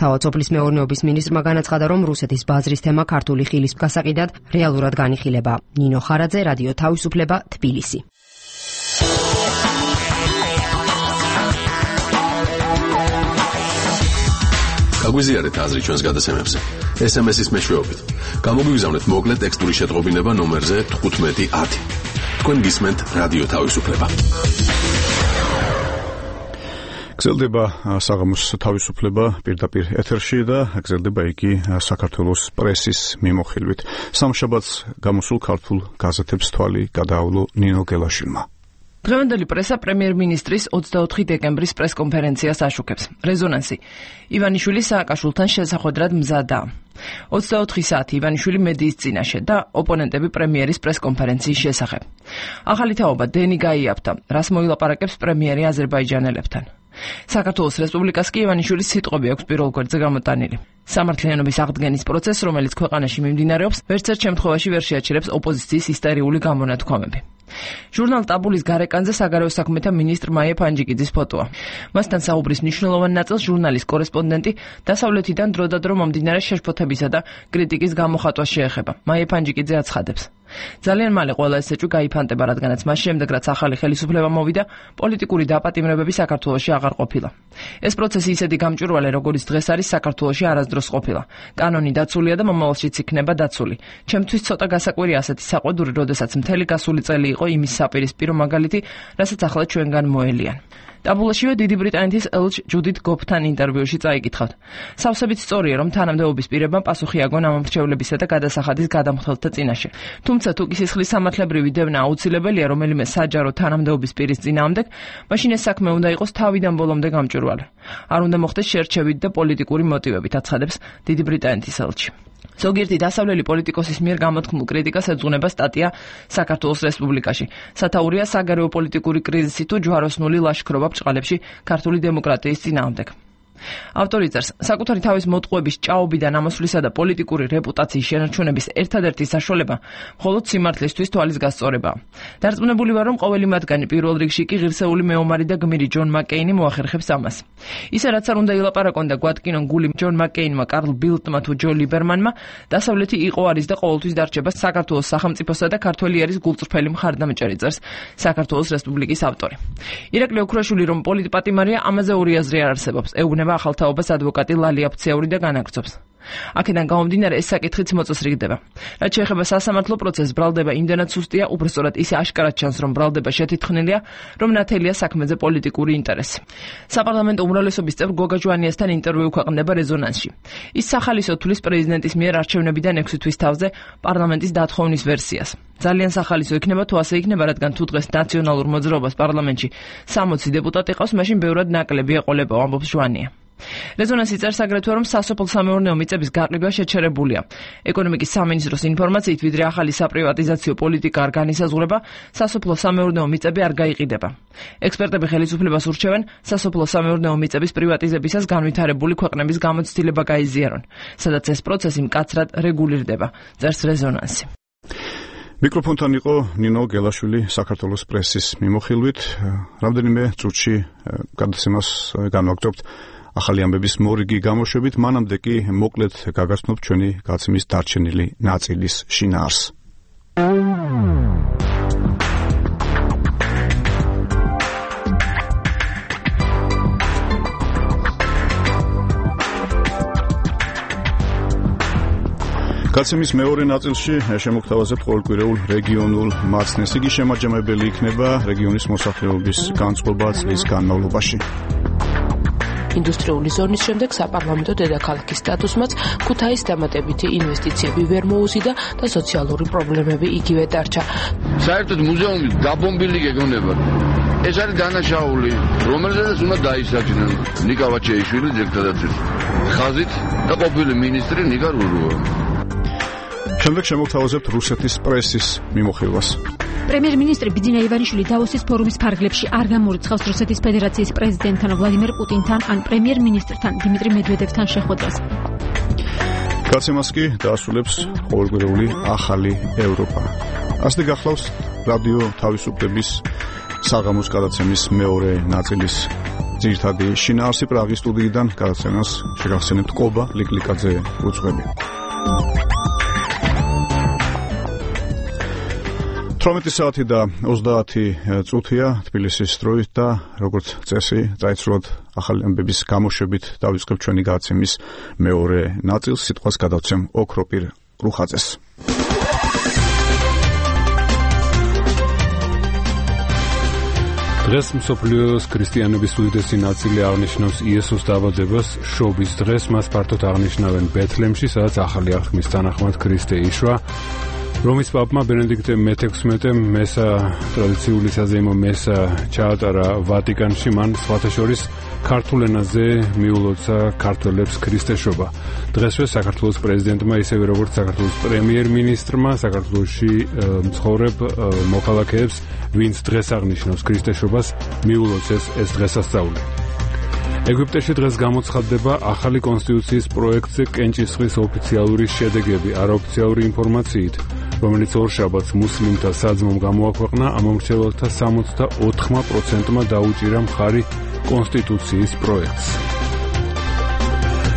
თავად სოფლის მეურნეობის მინისტრმა განაცხადა, რომ რუსეთის ბაზრის თემა ქართული ხილის გასაყიდად რეალურად განიხილება. ნინო ხარაძე, რადიო თავისუფლება, თბილისი. გაგვიზიარეთ აზრი ჩვენს გადაცემებზე ეს ემ ეს-ის მეშვეობით. გამოგვიგზავნეთ მოკლე ტექსტური შეტყობინება ნომერზე თხუთმეტი ათი. თქვენ გისმენთ რადიო თავისუფლება. გრძელდება საღამოს თავისუფლება პირდაპირ ეთერში და გრძელდება იგი საქართველოს პრესის მიმოხილვით. სამშაბათს გამოსულ ქართულ გაზეთებს თვალი გადაავლო ნინო გელაშვილმა. დღევანდელი პრესა პრემიერ-მინისტრის ოცდაოთხი დეკემბრის პრესკონფერენციას აშუქებს. რეზონანსი. ივანიშვილი სააკაშვილთან შესახვედრად მზადაა. ოცდაოთხი საათი ივანიშვილი მედიის წინაშე და ოპონენტები პრემიერის პრესკონფერენციის შესახებ. ახალი თაობა დენი გაიაფთა, რას მოილაპარაკებს პრემიერი აზერბაიჯანელებთან. საქართველოს რესპუბლიკას კი ივანიშვილის სიტყვები აქვს პირველ გვერდზე გამოტანილი. სამართლიანობის აღდგენის პროცესს, რომელიც ქვეყანაში მიმდინარეობს, ვერცერთ შემთხვევაში ვერ შეაჩერებს ოპოზიციის ისტერიული გამონათქვამები. ჟურნალ ტაბულის გარეკანზე საგარეო საქმეთა მინისტრ მაია ფანჯიკიძის ფოტოა. მასთან საუბრის მნიშვნელოვან ნაწილს ჟურნალის კორესპონდენტი დასავლეთიდან დროდადრო მომდინარე შეშფოთებისა და კრიტიკის გამოხატვას შეეხება. მაია ფანჯიკიძე აცხადებს. ძალიან მალე ყველა ეს ეჭვი გაიფანტება, რადგანაც მას შემდეგ, რაც ახალი ხელისუფლება მოვიდა, პოლიტიკური დაპატიმრებები საქართველოში აღარ ყოფილა. ეს პროცესი ისეთი გამჭვირვალე, როგორც დღეს არის საქართველოში არასდროს ყოფილა. კანონი დაცულია და მომავალშიც იქნება დაცული. ჩემთვის ცოტა გასაკვირი ასეთი საყვედური, როდესაც მთელი გასული წელი იყო იმის საპირისპირო მაგალითი, რასაც ახლა ჩვენგან მოელიან. ტაბულაშივე დიდი ბრიტანეთის ელჩ ჯუდით გოფთან ინტერვიუში წაიკითხავთ. სავსებით სწორია, რომ თანამდებობის პირებმა პასუხი აგონ ამომრჩევლებისა და გადასახადის გადამხდელთა წინაშე. თუმცა თუ კი სისხლის სამართლებრივი დევნა აუცილებელია რომელიმე საჯარო თანამდებობის პირის წინააღმდეგ, მაშინ ეს საქმე უნდა იყოს თავიდან ბოლომდე გამჭვირვალე. არ უნდა მოხდეს შერჩევით და პოლიტიკური მოტივებით, აცხადებს დიდი ბრიტანეთის ელჩი. ზოგიერთი დასავლელი პოლიტიკოსის მიერ გამოთქმულ კრიტიკას ეძღვნება სტატია საქართველოს რესპუბლიკაში. სათაურია საგარეო პოლიტიკური კრიზისი თუ ჯვაროსნული ლაშქრობა ბრჭყალებში ქართული დემოკრატიის წინააღმდეგ. ავტორი წერს, საკუთარი თავის მოტყუების ჭაობიდან ამოსვლისა და პოლიტიკური რეპუტაციის შენარჩუნების ერთადერთი საშუალება მხოლოდ სიმართლისთვის თვალის გასწორებაა. დარწმუნებული ვარ, რომ ყოველი მათგანი პირველ რიგში კი ღირსეული მეომარი და გმირი ჯონ მაკეინი მოახერხებს ამას. ისე რაც არ უნდა ილაპარაკონ და გვადგინონ გული ჯონ მაკეინმა, კარლ ბილდმა თუ ჯო ლიბერმანმა, დასავლეთი იყო არის და ყოველთვის დარჩება საქართველოს სახელმწიფოსა და ქართველი არის გულწრფელი მხარდამჭერი, წერს საქართველოს რესპუბლიკის ავტორი. ირაკლი ოქროშვილი რომ პოლიტპატიმარია, ამაზე ორი აზრი არ არსებობს. ეუბნება ახალთაობას ადვოკატი ლალია ფცეური და განაგრძობს. აქედან გამომდინარე ეს საკითხიც მოწესრიგდება. რაც შეეხება სასამართლო პროცესს, ბრალდება იმდენად სუსტია, უბრალოდ ისე აშკარად ჩანს, რომ ბრალდება შეთითხნილია, რომ ნათელია საქმეზე პოლიტიკური ინტერესი. საპარლამენტო უმრავლესობის წევრ გოგა ჟვანიასთან ინტერვიუ ქვეყნდება რეზონანსში. ის სახალისო თulis პრეზიდენტის მიერ არჩევნებიდან ექვსი თვის თავზე პარლამენტის დათხოვნის ვერსიას. ძალიან სახალისო იქნება თუ ასე იქნება, რადგან თუ დღეს ნაციონალურ მოძრაობას პარლამენტში სამოცი დეპუტატი ყავს, მაშინ ბევრად ნაკლები ეყოლება, ამბობს ჟვანია. რეზონანსი წერს აგრეთვე, რომ სასოფლო-სამეურნეო მიწების გაყიდვა შეჩერებულია. ეკონომიკის სამინისტროს ინფორმაციით, ვიდრე ახალი საპრივატიზაციო პოლიტიკა არ განისაზღვრება, სასოფლო-სამეურნეო მიწები არ გაიყიდება. ექსპერტები ხელისუფლებას ურჩევენ, სასოფლო-სამეურნეო მიწების პრივატიზებისას განვითარებული ქვეყნების გამოცდილება გაიზიარონ, სადაც ეს პროცესი მკაცრად რეგულირდება, წერს რეზონანსი. მიკროფონთან იყო ნინო გელაშვილი საქართველოს პრესის მიმოხილვით. რამდენიმე წუთში გადაცემას განვაგრძობთ ახალი ამბების მორიგი გამოშვებით, მანამდე კი მოკლედ გაგაცნობთ ჩვენი გაცემის დარჩენილი ნაწილის შინაარსს. გაცემის მეორე ნაწილში შემოგთავაზებთ ყოველკვირეულ რეგიონულ მაცნეს. იგი შემაჯამებელი იქნება რეგიონის მოსახლეობის განწყობა წლის განმავლობაში. ინდუსტრიული ზონის შემდეგ საპარლამენტო დედაქალაქის სტატუსმაც ქუთაის დამატებითი ინვესტიციები ვერ მოუზიდა და სოციალური პრობლემები იგივე დარჩა. საერთოდ მუზეუმი დაბომბილი გეგონება. ეს არის დანაშაული, რომელზეც უნდა დაისაჯნენ ნიკა ვაჩეიშვილი ძირითადად ხაზით და ყოფილი მინისტრი ნიკა რურუა. შემდეგ შემოგთავაზებთ რუსეთის პრესის მიმოხილვას. პრემიერ-მინისტრი ბიძინა ივანიშვილი დავოსის ფორუმის ფარგლებში არ გამორიცხავს რუსეთის ფედერაციის პრეზიდენტთან ვლადიმერ პუტინთან ან პრემიერ-მინისტრთან დიმიტრი მედვედევთან შეხვედრას. გაცემას კი დაასრულებს ყოველკვირეული ახალი ევროპა. ასე გახლავს რადიო თავისუფლების საღამოს გადაცემის მეორე ნაწილის ძირითადი შინაარსი. პრაღის სტუდიიდან გადაცემას შეგახსენებთ კობა ლიკლიკაძე უძღვები. თვრამეტი საათი და ოცდაათი წუთია თბილისის დროით და როგორც წესი წაიცვლოთ ახალი ამბების გამოშვებით დავიწყებ ჩვენი გადაცემის მეორე ნაწილს. სიტყვას გადავცემ ოქროპირ რუხაძეს. დღეს მსოფლიოს ქრისტიანების უდიდესი ნაწილი აღნიშნავს იესოს დაბადებას შობის დღეს. მას ფართოდ აღნიშნავენ ბეთლემში, სადაც ახალი აღთქმის თანახმად ქრისტე იშვა. რომის პაპმა ბენედიქტე მეთექვსმეტემ მესა ტრადიციული საზეიმო მესა ჩაატარა ვატიკანში. მან სხვათა შორის ქართულ ენაზე მიულოცა ქართველებს ქრისტეშობა. დღესვე საქართველოს პრეზიდენტმა, ისევე როგორც საქართველოს პრემიერ-მინისტრმა საქართველოში მცხოვრებ მოქალაქეებს, ვინც დღეს აღნიშნავს ქრისტეშობას, მიულოცეს ეს დღესასწაული. ეგვიპტეში დღეს გამოცხადდება ახალი კონსტიტუციის პროექტზე კენჭისყრის ოფიციალური შედეგები. არაოფიციალური ინფორმაციით, რომელიც ორშაბათს მუსლიმთა საძმომ გამოაქვეყნა, ამომრჩეველთა სამოცდა ოთხ პროცენტმა დაუჭირა მხარი კონსტიტუციის პროექტს.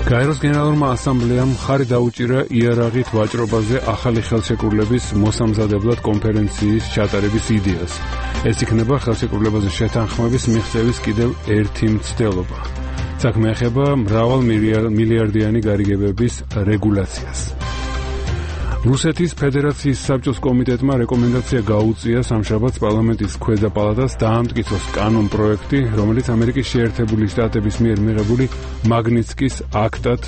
გაეროს გენერალურმა ასამბლეამ მხარი დაუჭირა იარაღით ვაჭრობაზე ახალი ხელშეკრულების მოსამზადებლად კონფერენციის ჩატარების იდეას. ეს იქნება ხელშეკრულებაზე შეთანხმების მიღწევის კიდევ ერთი მცდელობა. საქმე ეხება მრავალ მილიარდიანი გარიგებების რეგულაციას. რუსეთის ფედერაციის საბჭოს კომიტეტმა რეკომენდაცია გაუწია სამშაბათს პარლამენტის ქვედა პალატას დაამტკიცოს კანონ პროექტი, რომელიც ამერიკის შეერთებული შტატების მიერ მიღებული მაგნიცკის აქტად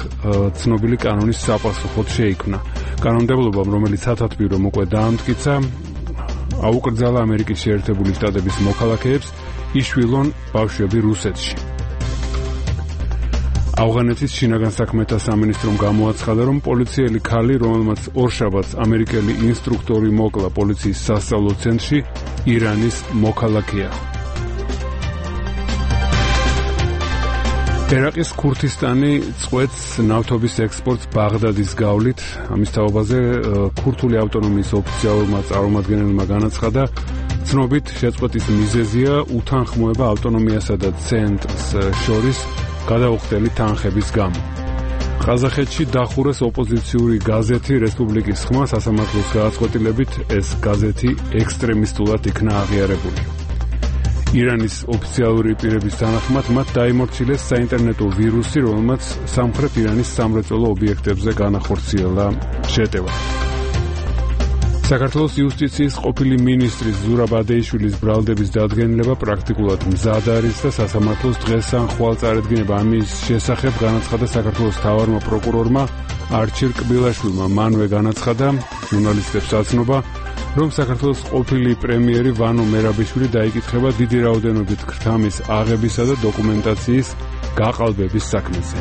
ცნობილი კანონის საპასუხოდ შეიქმნა. კანონმდებლობამ, რომელიც სათათბირომ უკვე დაამტკიცა, აუკრძალა ამერიკის შეერთებული შტატების მოქალაქეებს იშვილონ ბავშვები რუსეთში. ავღანეთის შინაგან საქმეთა სამინისტრომ გამოაცხადა, რომ პოლიციელი ქალი, რომელმაც ორშაბათს ამერიკელი ინსტრუქტორი მოკლა პოლიციის სასწავლო ცენტრში, ირანის მოქალაქეა. ერაყის ქურთისტანი წყვეტს ნავთობის ექსპორტს ბაღდადის გავლით. ამის თაობაზე ქურთული ავტონომიის ოფიციალურმა წარმომადგენელმა განაცხადა, ცნობით შეწყვეტის მიზეზია უთანხმოება ავტონომიასა და ცენტრს შორის გადაუხდელი თანხების გამო. ყაზახეთში დახურეს ოპოზიციური გაზეთი რესპუბლიკის ხმა. სასამართლოს გადაწყვეტილებით ეს გაზეთი ექსტრემისტულად იქნა აღიარებული. ირანის ოფიციალური პირების თანახმად მათ დაიმორჩილეს საინტერნეტო ვირუსი, რომელმაც სამხრეთ ირანის სამრეწველო ობიექტებზე განახორციელა შეტევა. საქართველოს იუსტიციის ყოფილი მინისტრის ზურაბ ადეიშვილის ბრალდების დადგენილება პრაქტიკულად მზად არის და სასამართლოს დღეს ან ხვალ წარედგინება. ამის შესახებ განაცხადა საქართველოს მთავარმა პროკურორმა არჩილ კბილაშვილმა. მანვე განაცხადა ჟურნალისტებს აცნობა, რომ საქართველოს ყოფილი პრემიერი ვანო მერაბიშვილი დაიკითხება დიდი რაოდენობით ქრთამის აღებისა და დოკუმენტაციის გაყალბების საქმეზე.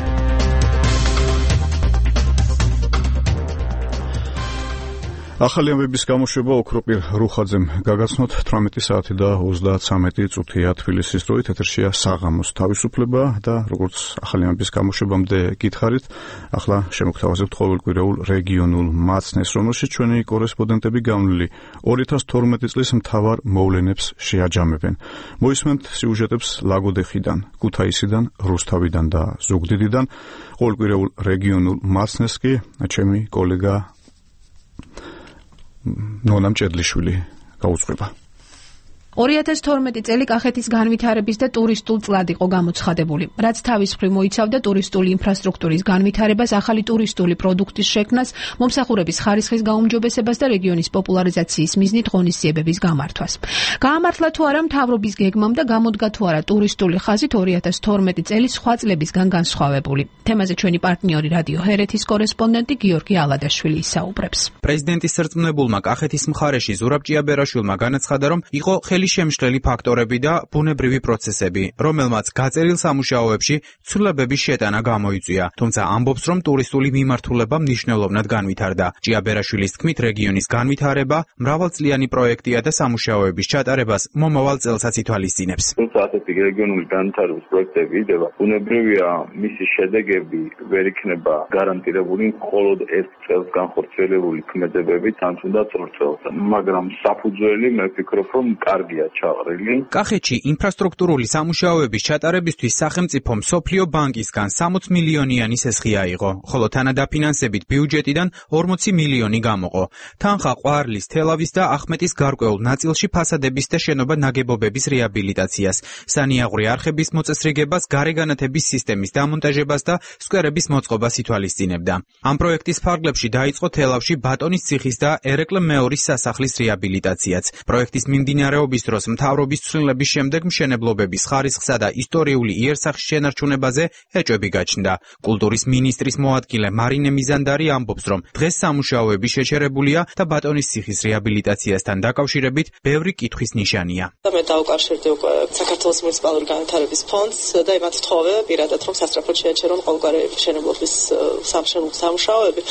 ახალი ამბების გამოშვება ოქროპირ რუხაძემ გაგაცნოთ. თვრამეტი საათი და ოცდაათი წუთია თბილისის დროით. ეთერშია საღამოს თავისუფლება და როგორც ახალი ამბების გამოშვებამდე გითხარით, ახლა შემოგთავაზებთ ყოველკვირეულ რეგიონულ მაცნეს, რომელშიც ჩვენი კორესპონდენტები გამლილი ორი ათას თორმეტი წლის მთავარ მოვლენებს შეაჯამებენ. მოისმენთ სიუჟეტებს ლაგოდეხიდან, ქუთაისიდან, რუსთავიდან და ზუგდიდიდან. ყოველკვირეულ რეგიონულ მაცნეს კი ჩემი კოლეგა ნონამ ჭედლიშვილი გაუძღვება. ორი ათას თორმეტი წელი კახეთის განვითარების და ტურისტულ წლად იყო გამოცხადებული, რაც თავის მხრივ მოიცავდა ტურისტული ინფრასტრუქტურის განვითარებას, ახალი ტურისტული პროდუქტის შექმნას, მომსახურების ხარისხის გაუმჯობესებას და რეგიონის პოპულარიზაციის მიზნით ღონისძიებების გამართვას. გაამართლა თუ არა მთავრობის გეგმამ და გამოდგა თუ არა ტურისტული ხაზით ორი ათას თორმეტი წელი სხვა წლებისგან განსხვავებული. თემაზე ჩვენი პარტნიორი რადიო ჰერეთის კორესპონდენტი გიორგი ალადაშვილი ისაუბრებს. პრეზიდენტის სარწმუნებულმა კახეთის მხარეში ზურაბ ჭიაბერაშვილმა განაცხადა, რომ იყო შემშლელი ფაქტორები და ბუნებრივი პროცესები, რომელმაც გაწერილ სამუშაოებში ცვლილებების შეტანა გამოიწვია. თუმცა ამბობს, რომ ტურისტული მიმართულება მნიშვნელოვნად განვითარდა. ჭიაბერაშვილის თქმით, რეგიონის განვითარება მრავალწლიანი პროექტია და სამუშაოების ჩატარებას მომავალ წელსაც ითვალისწინებს. თუმცა ასეთი რეგიონული განვითარების პროექტები იდება, ბუნებრივია, მისი შედეგები ვერ იქნება გარანტირებული მხოლოდ ერთ წელს განხორციელებული ქმედებებით, ან თუნდაც ორ წელს. მაგრამ საფუძველი მე ვფიქრობ, რომ კარგი კარგია ჩაყრილი. კახეთში ინფრასტრუქტურული სამუშაოების ჩატარებისთვის სახელმწიფო მსოფლიო ბანკისგან სამოცი მილიონიანი სესხი აიღო, ხოლო თანადაფინანსებით ბიუჯეტიდან ორმოცი მილიონი გამოყო. თანხა ყვარლის, თელავის და ახმეტის გარკვეულ ნაწილში ფასადების და შენობა ნაგებობების რეაბილიტაციას, სანიაღვრე არხების მოწესრიგებას, გარეგანათების სისტემის დამონტაჟებას და სკვერების მოწყობას ითვალისწინებდა. ამ პროექტის ფარგლებში დაიწყო თელავში ბატონის ციხის და ერეკლე მეორის სასახლის რეაბილიტაციაც. პროექტის მიმდინარეობის დროს მთავრობის ცვლილების შემდეგ მშენებლობების ხარისხსა და ისტორიული იერსახის შენარჩუნებაზე ეჭვები გაჩნდა. კულტურის მინისტრის მოადგილე მარინე მიზანდარი ამბობს, რომ დღეს სამუშაოები შეჩერებულია და ბატონის ციხის რეაბილიტაციასთან დაკავშირებით ბევრი კითხვის ნიშანია. მე დავუკავშირდი უკვე საქართველოს მუნიციპალური განვითარების ფონდს და იმათ ვთხოვე პირადად, რომ სასწრაფოდ შეაჩერონ ყოველგვარი მშენებლობის სამუშაოები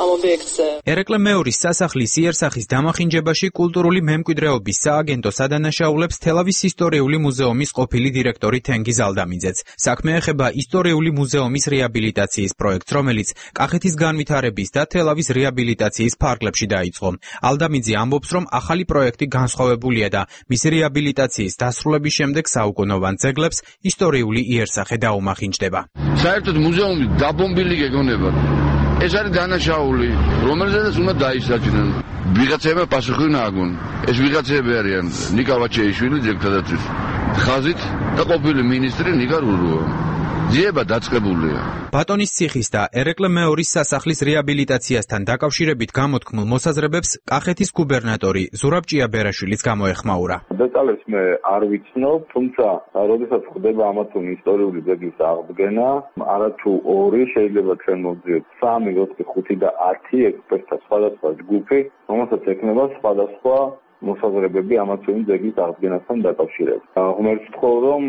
ამ ობიექტზე. ერეკლე მეორის სასახლის იერსახის დამახინჯებაში კულტურული მემკვიდრეობის სააგენტო სადანაშაულებს თელავის ისტორიული მუზეუმის ყოფილი დირექტორი თენგიზ ალდამიძეც. საქმე ეხება ისტორიული მუზეუმის რეაბილიტაციის პროექტს, რომელიც კახეთის განვითარების და თელავის რეაბილიტაციის ფარგლებში დაიწყო. ალდამიძე ამბობს, რომ ახალი პროექტი განსხვავებულია და მისი რეაბილიტაციის დასრულების შემდეგ საუკუნოვან ძეგლებს ისტორიული იერსახე დაუმახინჯდება. საერთოდ მუზეუმი დაბომბილი გეგონებათ. ეს არის დანაშაული, რომელზედაც უნდა დაისაჯნენ. ვიღაცებმა პასუხი უნდა აგონ. ეს ვიღაცები არიან ნიკა ვაჩეიშვილი ძეგლთადაცვის ხაზით და ყოფილი მინისტრი ნიკა რურუა. ძიება დაწყებულია. ბატონის ციხის და ერეკლე მეორის სასახლის რეაბილიტაციასთან დაკავშირებით გამოთქმულ მოსაზრებებს კახეთის გუბერნატორი ზურაბ ჭიაბერაშვილიც გამოეხმაურა. დეტალებს მე არ ვიცნობ, თუმცა როდესაც ხდება ამა თუ ისტორიული ძეგლის აღდგენა, არათუ ორი, შეიძლება ჩვენ მოვძიოთ სამი, ოთხი, ხუთი და ათი ექსპერტთა სხვადასხვა ჯგუფი, რომელსაც ექნება სხვადასხვა მოსაზრებები ამა თუ იმ ძეგლის აღდგენასთან დაკავშირებით. ღმერთს ვთხოვ, რომ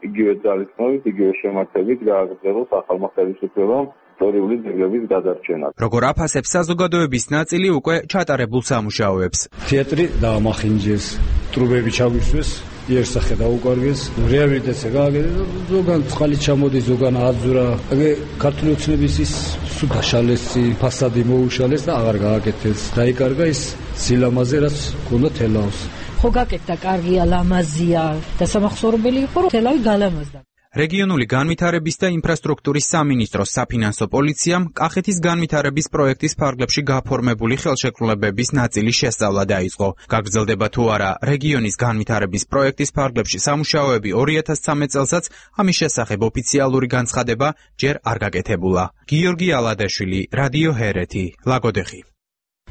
იგივე ძალისხმევით, იგივე შემართებით გააგრძელოს ახალმა ხელისუფლებამ ისტორიული ძეგლების გადარჩენა. როგორ აფასებს საზოგადოების ნაწილი უკვე ჩატარებულ სამუშაოებს. თეატრი დაამახინჯეს, ტრუბები ჩაგვისვეს, იერსახე დაუკარგეს, რეაბილიტაცია გააგეს, ზოგან წყალი ჩამოდის, ზოგან აძურა. ეგ ქართული ოცნების ის სულ დაშალესი, ფასადი მოუშალეს და აღარ გააკეთეს. დაიკარგა ის სილამაზე, რაც ჰქონდა თელავს. ხო გაკეთდა, კარგია, ლამაზია და სამახსოვრებელი იყო, რომ თელავი გალამაზდა. რეგიონული განვითარების და ინფრასტრუქტურის სამინისტროს საფინანსო პოლიციამ კახეთის განვითარების პროექტის ფარგლებში გაფორმებული ხელშეკრულებების ნაწილის შესწავლა დაიწყო. გაგრძელდება თუ არა რეგიონის განვითარების პროექტის ფარგლებში სამუშაოები ორი ათას ცხრამეტ წელსაც, ამის შესახებ ოფიციალური განცხადება ჯერ არ გაკეთებულა. გიორგი ალადაშვილი, რადიო ჰერეთი, ლაგოდეხი.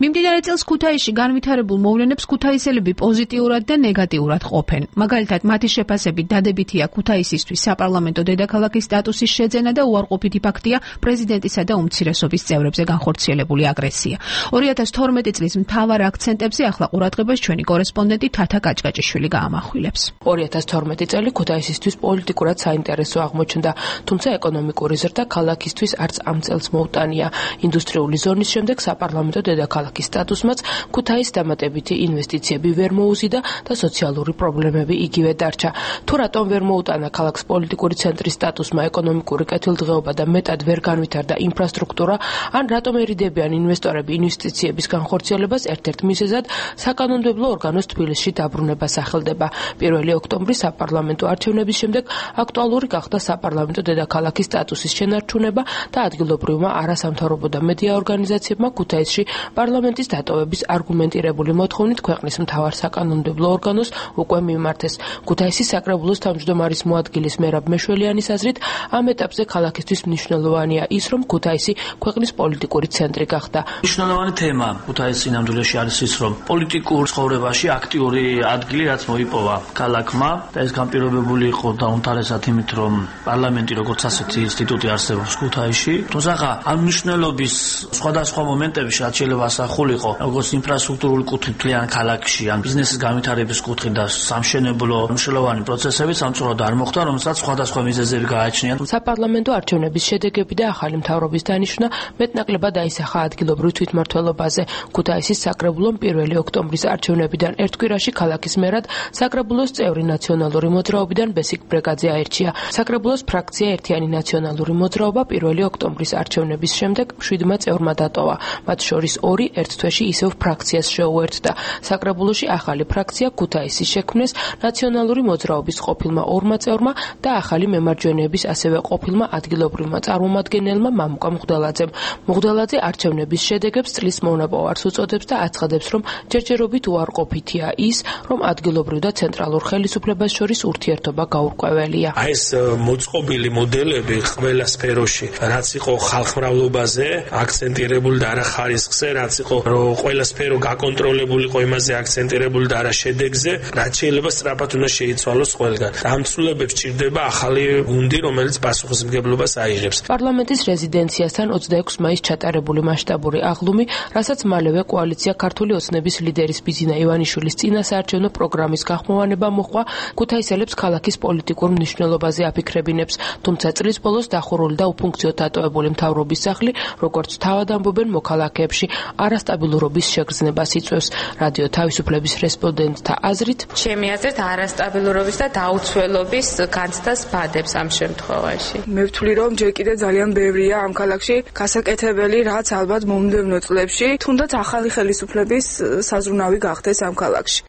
მიმდინარე წელს ქუთაისში განვითარებულ მოვლენებს ქუთაისელები პოზიტიურად და ნეგატიურად ყოფენ. მაგალითად, მათი შეფასებით დადებითია ქუთაისისთვის საპარლამენტო დედაქალაქის სტატუსის შეძენა და უარყოფითი ფაქტია პრეზიდენტისა და უმცირესობის წევრებზე განხორციელებული აგრესია. ორი ათას თორმეტი წლის მთავარ აქცენტებზე ახლა ყურადღებას ჩვენი კორესპონდენტი თათა კაჭკაჭიშვილი გაამახვილებს. ორი ათას თორმეტი წელი ქუთაისისთვის პოლიტიკურად საინტერესო აღმოჩნდა, თუმცა ეკონომიკური ზრდა ქალაქისთვის არც ამ წელს მოუტანია. ინდუსტრიული ზონის შემდეგ საპარლამენტო დედაქალაქის სტატუსმაც ქუთაის დამატებითი ინვესტიციები ვერ მოუზიდა და სოციალური პრობლემები იგივე დარჩა. თუ რატომ ვერ მოუტანა ქალაქს პოლიტიკური ცენტრის სტატუსმა ეკონომიკური კეთილდღეობა და მეტად ვერ განვითარდა ინფრასტრუქტურა, ან რატომ ერიდებიან ინვესტორები ინვესტიციების განხორციელებას, ერთ-ერთ მიზეზად საკანონმდებლო ორგანოს თბილისში დაბრუნება სახელდება. პირველი ოქტომბრის საპარლამენტო არჩევნების შემდეგ აქტუალური გახდა საპარლამენტო დედაქალაქის სტატუსის შენარჩუნება და ადგილობრივმა არასამთავრობო და მედია ორგანიზაციებმა ქუთაისში პარლამენტის დატოვების არგუმენტირებული მოთხოვნით ქვეყნის მთავარ საკანონმდებლო ორგანოს უკვე მიმართეს. ქუთაისის საკრებულოს თავმჯდომარის მოადგილის მერაბ მეშველიანის აზრით, ამ ეტაპზე ქალაქისთვის მნიშვნელოვანია ის, რომ ქუთაისი ქვეყნის პოლიტიკური ცენტრი გახდა. მნიშვნელოვანი თემა ქუთაისის ნამდვილში არის ის, რომ პოლიტიკურ ცხოვრებაში აქტიური ადგილი რაც მოიპოვა ქალაქმა და ეს განპირობებული იყო დაუნთარესად იმით, რომ პარლამენტი როგორც ასეთი ინსტიტუტი არსებობს ქუთაისში. თუმცა ამ მნიშვნელობის სხვადასხვა მომენტებში რაც შეიძლება ასახულიყო, როგორც ინფრასტრუქტურული კუთხით მთლიან ქალაქში, ან ბიზნესის განვითარების კუთხით და სამშენებლო მნიშვნელოვანი პროცესები სამწუხაროდ არ მოხდა, რომელსაც სხვადასხვა მიზეზები გააჩნია. საპარლამენტო არჩევნების შედეგები და ახალი მთავრობის დანიშვნა მეტნაკლებად აისახა ადგილობრივ თვითმმართველობაზე. ქუთაისის საკრებულომ პირველი ოქტომბრის არჩევნებიდან ერთ კვირაში ქალაქის მერად საკრებულოს წევრი ნაციონალური მოძრაობიდან ბესიკ ბრეგაძე აირჩია. საკრებულოს ფრაქცია ერთიანი ნაციონალური მოძრაობა პირველი ოქტომბრის არჩევნების შემდეგ შვიდმა წევრმა დატოვა. მათ შორის ორი ერთ თვეში ისევ ფრაქციას შეუერთდა. საკრებულოში ახალი ფრაქცია ქუთაისის შექმნეს ნაციონალური მოძრაობის ყოფილმა ორმა წევრმა და ახალი მემარჯვენეების ასევე ყოფილმა ადგილობრივმა წარმომადგენელმა მამუკა მღვდელაძემ. მღვდელაძე არჩევნების შედეგებს წლის მონაპოვარს უწოდებს და აცხადებს, რომ ჯერჯერობით უარყოფითია ის, რომ ადგილობრივ და ცენტრალურ ხელისუფლებას შორის ურთიერთობა გაურკვეველია. აი ეს მოწყობილი მოდელები ყველა სფეროში, რაც იყო ხალხმრავლობაზე აქცენტირებული და არა ხარისხზე, რაც იყო რომ ყველა სფერო გაკონტროლებული იყო იმაზე აქცენტირებული და არა შედეგზე, რაც შეიძლება სწრაფად უნდა შეიცვალოს ყველგან. ამ ცვლილებებს ჭირდება ახალი გუნდი, რომელიც პასუხისმგებლობას აიღებს. პარლამენტის რეზიდენციასთან ოცდაექვსი მაისს ჩატარებული მასშტაბური აღლუმი, რასაც მალევე კოალიცია ქართული ოცნების ლიდერის ბიზინა ივანიშვილის წინასაარჩევნო პროგრამის გახმოვანება მოჰყვა, ქუთაისელებს ქალაქის პოლიტიკურ მნიშვნელობაზე აფიქრებინებს, თუმცა წლის ბოლოს დახურული და უფუნქციო დატოვებული მთავრობის სახლი, როგორც თავად ამბობენ მოქალაქეებში, არასტაბილურობის შეგრძნებას იწვევს. რადიო თავისუფლების რესპონდენტთა აზრით, ჩემი აზრით არასტაბილურობის და დაუცველობის განცდას ბადებს ამ შემთხვევაში. მე ვთვლი, რომ ჯერ კიდევ ძალიან ბევრია ამ ქალაქში გასაკეთებელი, რაც ალბათ მომდევნო წლებში თუნდაც ახალი ხელისუფლების საზრუნავი გახდეს ამ ქალაქში.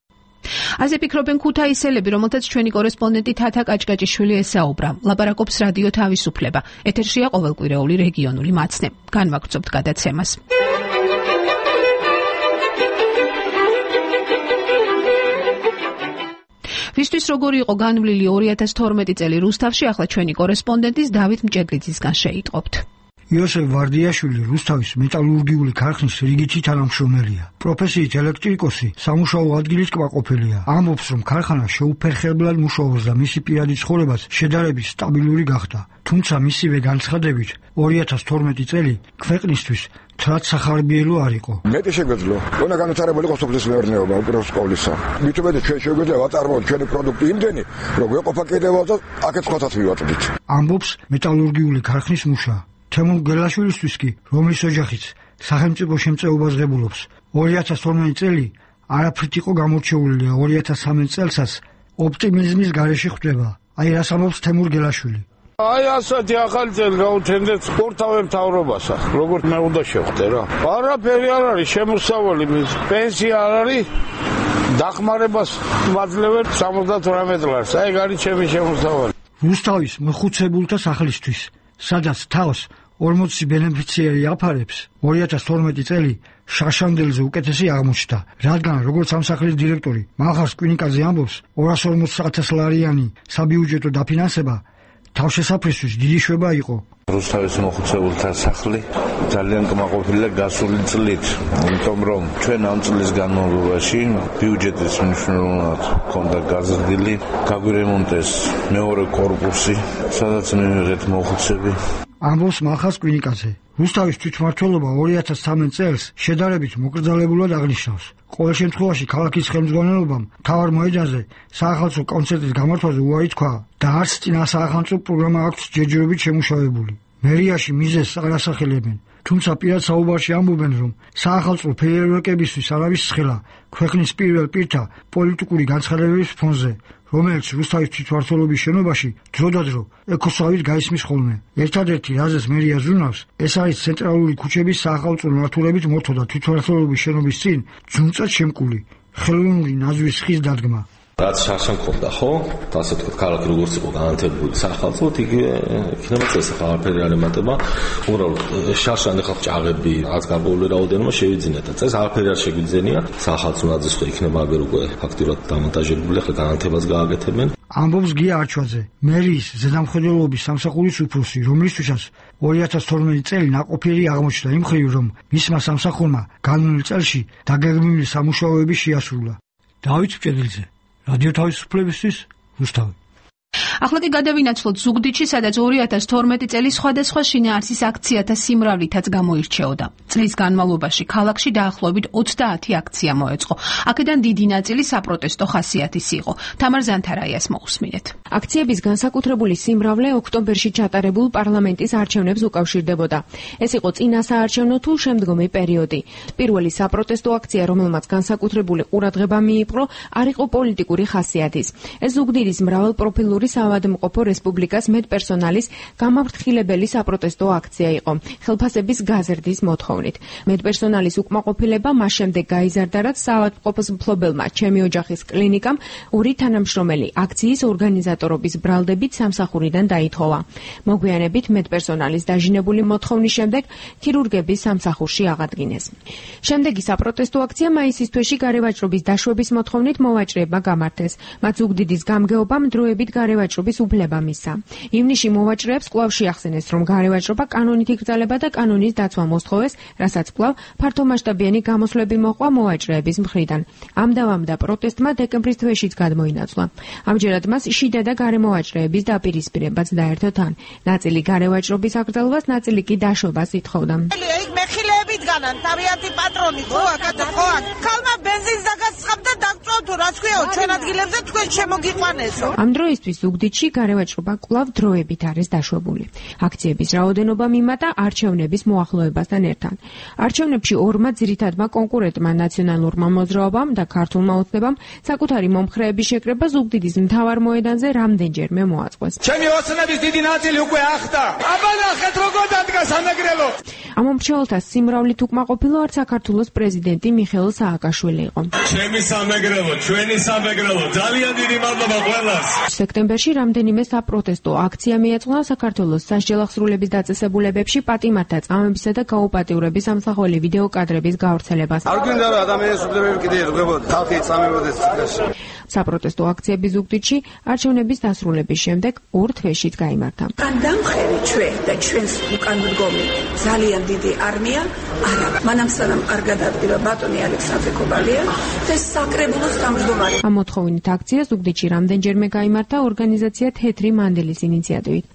ასე ფიქრობენ ქუთაისელები, რომელთაც ჩვენი კორესპონდენტი თათა კაჭკაჭიშვილი ესაუბრა. ლაპარაკობს რადიო თავისუფლება. ეთერშია ყოველკვირეული რეგიონული მაცნე. განვაგრძობთ გადაცემას. ვისთვის როგორი იყო განვლილი ორი ათას თორმეტი წელი რუსთავში, ახლა ჩვენი კორესპონდენტის დავით მჭედლიძისგან შეიტყობთ. იოსებ ვარდიაშვილი რუსთავის მეტალურგიული ქარხნის რიგითი თანამშრომელია. პროფესიით ელექტრიკოსი, სამუშაო ადგილის კმაყოფილია. ამბობს, რომ ქარხანა შეუფერხებლად მუშაობს და მისი პირადი ცხოვრებაც შედარებით სტაბილური გახდა. თუმცა მისივე განცხადებით, ორი ათას თორმეტი წელი ქვეყნისთვის თრად სახარბიელო არ იყო. მეტი შეგვეძლო, უნდა განვითარებული იყოს სოფლის მეურნეობა უპირველეს ყოვლისა. მით უმეტე ჩვენ შეგვეძლო ვაწარმოოთ ჩვენი პროდუქტი იმდენი, რომ გვეყოფა კიდევაც და აქეთ სხვათაც მივაწვდით. ამბობს მეტალურგიული ქარხნის მუშა. თემურ გელაშვილისთვის კი, რომლის ოჯახიც სახელმწიფო შემწეობას ღებულობს, ორი ათას თორმეტი წელი არაფრით იყო გამორჩეული და ორი ათას სამი წელსაც ოპტიმიზმის გარეშე ხვდება. აი რას ამბობს თემურ გელაშვილი. აი ასეთი ახალი წელი გაუჩენდეთ სპორტავე მთავრობას, როგორც მე უნდა შევხვდე რა. არაფერი არ არის შემოსავალი, პენსია არ არის, დახმარებას მაძლევენ სამოცდათვრამეტ ლარს. აი გარი ჩემი შემოსავალი. რუსთავის მოხუცებულთა სახლისთვის, სადაც თავს ორმოცი ბენეფიციარი აფარებს, ორი ათას თორმეტი წელი შაშანდელზე უკეთესი აღმოჩნდა, რადგან როგორც ამ სახლის დირექტორი მახარს კვინიკაძე ამბობს, ორას ორმოცი ათას ლარიანი საბიუჯეტო დაფინანსება თავშესაფრისთვის დიდი შვება იყო. რუსთავის მოხუცებულთა სახლი ძალიან კმაყოფილია გასული წლით, იმიტომ რომ ჩვენ ამ წლის განმავლობაში ბიუჯეტის მნიშვნელოვნად ჰქონდა გაზრდილი, გაგვირემონტეს მეორე კორპუსი, სადაც მივიღეთ მოხუცები. ამბობს მახას კვინიკაძე. რუსთავის თვითმმართველობა ორი ათას სამი წელს შედარებით მოკრძალებულად აღნიშნავს. ყოველ შემთხვევაში ქალაქის ხელმძღვანელობამ მთავარ მოედანზე საახალწლო კონცერტის გამართვაზე უარი თქვა და არც წინასაახალწლო პროგრამა აქვს ჯერჯერობით შემუშავებული. მერიაში მიზეზს არ ასახელებენ, თუმცა პირად საუბარში ამბობენ, რომ საახალწლო ფეიერვერკებისთვის არავის ცხელა ქვეყნის პირველ პირთა პოლიტიკური განცხადებების ფონზე, რომელიც რუსთავის თვითმმართველობის შენობაში დროდადრო ეკოსავით გაისმის ხოლმე. ერთადერთი რაზეც მერია ზრუნავს, ეს არის ცენტრალური ქუჩების საახალწლო ნართულებით მორთო და თვითმმართველობის შენობის წინ ძუნწად შემკული ხელოვნური ნაზვის ხის დადგმა. რაც შარშან ქონდა, ხო? ასე ვთქვათ, ქალაქი როგორც იყო განათებული საახალწლოდ, იგივე იქნება წესახლა არაფერი არ ემატება. უბრალოდ შარშან ახლა ჭაღები რაც გარკვეული რაოდენობა შევიძინა და წეს არაფერი არ შეგვიძენია. საახალწლო ნაძვის ხო იქნება აგერ უკვე ფაქტიურად დამონტაჟებული, ახლა განათებას გააკეთებენ. ამბობს გია არჩვაძე, მერიის ზედამხედველობის სამსახურის უფროსი, რომლისთვისაც ორი ათას თორმეტი წელი ნაყოფიერი აღმოჩნდა იმ მხრივ, რომ მისმა სამსახურმა განვლილ წელში დაგეგმილი სამუშაოები შეასრულა. დავით მჭედლიძე, რადიო თავისუფლებისთვის, რუსთავი. ახლა კი გადავინაცვლოთ ზუგდიდში, სადაც ორი ათას თორმეტი წელი სხვადასხვა შინაარსის აქციათა სიმრავლითაც გამოირჩეოდა. წლის განმავლობაში ქალაქში დაახლოებით ოცდაათი აქცია მოეწყო. აქედან დიდი ნაწილი საპროტესტო ხასიათის იყო. თამარ ზანთარაიას მოусმინეთ. აქციების განსაკუთრებული სიმრავლე ოქტომბერში ჩატარებულ პარლამენტის არჩევნებს უკავშირდებოდა. ეს იყო წინასაარჩევნო თუ შემდგომი პერიოდი. პირველი საპროტესტო აქცია, რომელმაც განსაკუთრებული ყურადღება მიიპყრო, არ იყო პოლიტიკური ხასიათის. ეს ზუგდიდის მრავალპროფილური საავადმყოფო რესპუბლიკას მედპერსონალის გამაფრთხილებელი საპროტესტო აქცია იყო ხელფასების გაზრდის მოთხოვნით. მედპერსონალის უკმაყოფილება მას შემდეგ გაიზარდა, რაც საავადმყოფოს მფლობელმა ჩემი ოჯახის კლინიკამ ორი თანამშრომელი აქციის ორგანიზატორობის ბრალდებით სამსახურიდან დაითხოვა. მოგვიანებით მედპერსონალის დაჟინებული მოთხოვნის შემდეგ ქირურგები სამსახურში აღადგინეს. შემდეგი საპროტესტო აქცია მაისის თვეში გარევაჭრობის დაშვების მოთხოვნით მოვაჭრეებმა გამართეს. მათ ზუგდიდის გამგეობამ დროებით გარევაჭრობის უფლება მისცა. ივნისში მოვაჭრეებს კვლავ შეახსენეს, რომ გარევაჭრობა კანონით იკრძალება და კანონის დაცვა მოსთხოვეს, რასაც კვლავ ფართომასშტაბიანი გამოსვლები მოყვა მოვაჭრეების მხრიდან. ამ დავამდა პროტესტმა დეკემბრის თვეშიც გადმოინაცვლა. ამჯერად მას შიდა და გარემოვაჭრეების დაპირისპირებაც დაერთო თან. ნაწილი გარევაჭრობის აკრძალვას, ნაწილი კი დაშვებას ითხოვდა. ეგ მეხილეებით განან თავიანთი პატრონი ხო აკად ხო აქ ქალმა ბენზინს დაგასხამ და დაგწვა თუ რაც ქვიაო ჩვენ ადგილებზე თქვენ შემოგიყვანესო. ამ დროისთვის ზუგდიდში გარევაჭრობა კვლავ დროებით არის დაშვებული. აქციების რაოდენობა მიმატა არჩევნების მოახლოებასთან ერთად. არჩევნებში ორმა ძირითადმა კონკურენტმა ნაციონალურმა მოძრაობამ და ქართულმა ოცნებამ საკუთარი მომხრეების შეკრება ზუგდიდის მთავარ მოედანზე რამდენჯერმე მოაწყვეს. ჩემი ოცნების დიდი ნაწილი უკვე ახტა. აბა ნახეთ როგორ დადგა სამეგრელო. ამ მომხრეთა სიმრავლით უკმაყოფილო არც საქართველოს პრეზიდენტი მიხეილ სააკაშვილი იყო. ჩემი სამეგრელო, ჩვენი სამეგრელო, ძალიან დიდი მადლობა ყველას. სექტემბერში რამდენიმე საპროტესტო აქცია მიეწყნა საქართველოს სასჯელახსრულების დაწესებულებებში პატიმართა წამებისა და გაუპატიურების ამსახველი ვიდეო კადრების გავრცელებას. არ გვინდა რომ ადამიანის უფლებები კიდე ერგებოდა, ხალხი წამებოდეს ციხეში. საპროტესტო აქციები ზუგდიდში არჩევნების დასრულების შემდეგ ორ თვეშიც გაიმართა. კან დამხევი ჩვენ და ჩვენს უკან მდგომი ძალიან დიდი არმია არა მანამ სანამ არ გადადგება ბატონი ალექსანდრე კობალია და საკრებულოს თავმჯდომარე. ამ მოთხოვნით აქცია ზუგდიდში რამდენჯერმე გაიმართა ორგანიზაცია თეთრი მანდილის ინიციატივით.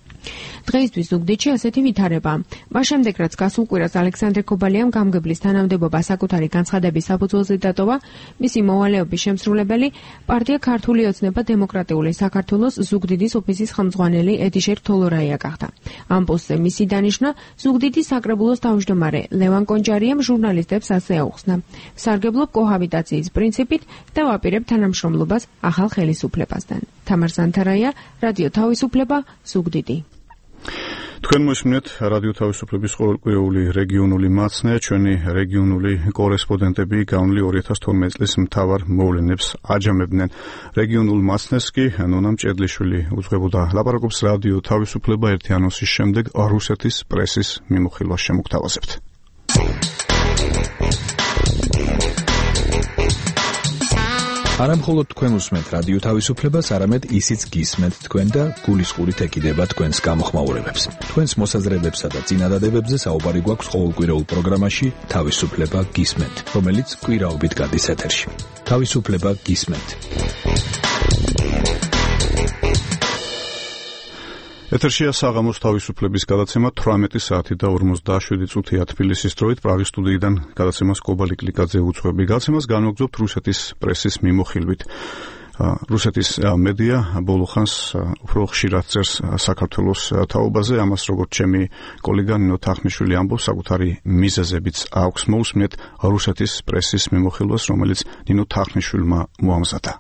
დღეისთვის ზუგდიდში ასეთი ვითარებაა. მას შემდეგ, რაც გასულ კვირას ალექსანდრე კობალიამ გამგებლის თანამდებობა საკუთარი განცხადების საფუძველზე დატოვა, მისი მოვალეობის შემსრულებელი პარტია ქართული ოცნება დემოკრატიული საქართველოს ზუგდიდის ოფისის ხელმძღვანელი ედიშერ თოლორაია გახდა. ამ პოსტზე მისი დანიშვნა ზუგდიდის საკრებულოს თავმჯდომარე ლევან კონჯარიამ ჟურნალისტებს ასე აუხსნა. სარგებლობ კოჰაბიტაციის პრინციპით და ვაპირებ თანამშრომლობას ახალ ხელისუფლებასთან. თამარ სანთარაია, რადიო თავისუფლება, ზუგდიდი. თქვენ მოსმენთ რადიო თავისუფლების ყოველკვირეული რეგიონული მაცნე, ჩვენი რეგიონული კორესპონდენტები განვლი ორი ათას თორმეტი წლის მთავარ მოვლენებს აჯამებდნენ. რეგიონულ მაცნეს კი ნონა მჭედლიშვილი უძღვებოდა. ლაპარაკობს რადიო თავისუფლება ერთი ანონსის შემდეგ რუსეთის პრესის მიმოხილვას შემოგთავაზებთ. არა მხოლოდ თქვენ უსმენთ რადიო თავისუფლებას, არამედ ისიც გისმენთ თქვენ და გულისყურით ეკიდება თქვენს გამოხმაურებებს. თქვენს მოსაზრებებსა და წინადადებებზე საუბარი გვაქვს ყოველკვირეულ პროგრამაში თავისუფლება გისმენთ, რომელიც კვირაობით გადის ეთერში. თავისუფლება გისმენთ. ეთერშია საღამოს თავისუფლების გადაცემა თვრამეტი საათი და ორმოცდაშვიდი წუთია თბილისის დროით. პრაღის სტუდიიდან გადაცემას კობალი კლიკაძე უძღვები. გადაცემას განვაგრძობთ რუსეთის პრესის მიმოხილვით. რუსეთის მედია ბოლო ხანს უფრო ხშირად წერს საქართველოს თაობაზე. ამას როგორც ჩემი კოლეგა ნინო თახმიშვილი ამბობს, საკუთარი მიზეზებიც აქვს. მოусმენთ რუსეთის პრესის მიმოხილვას, რომელიც ნინო თახმიშვილმა მოამზადა.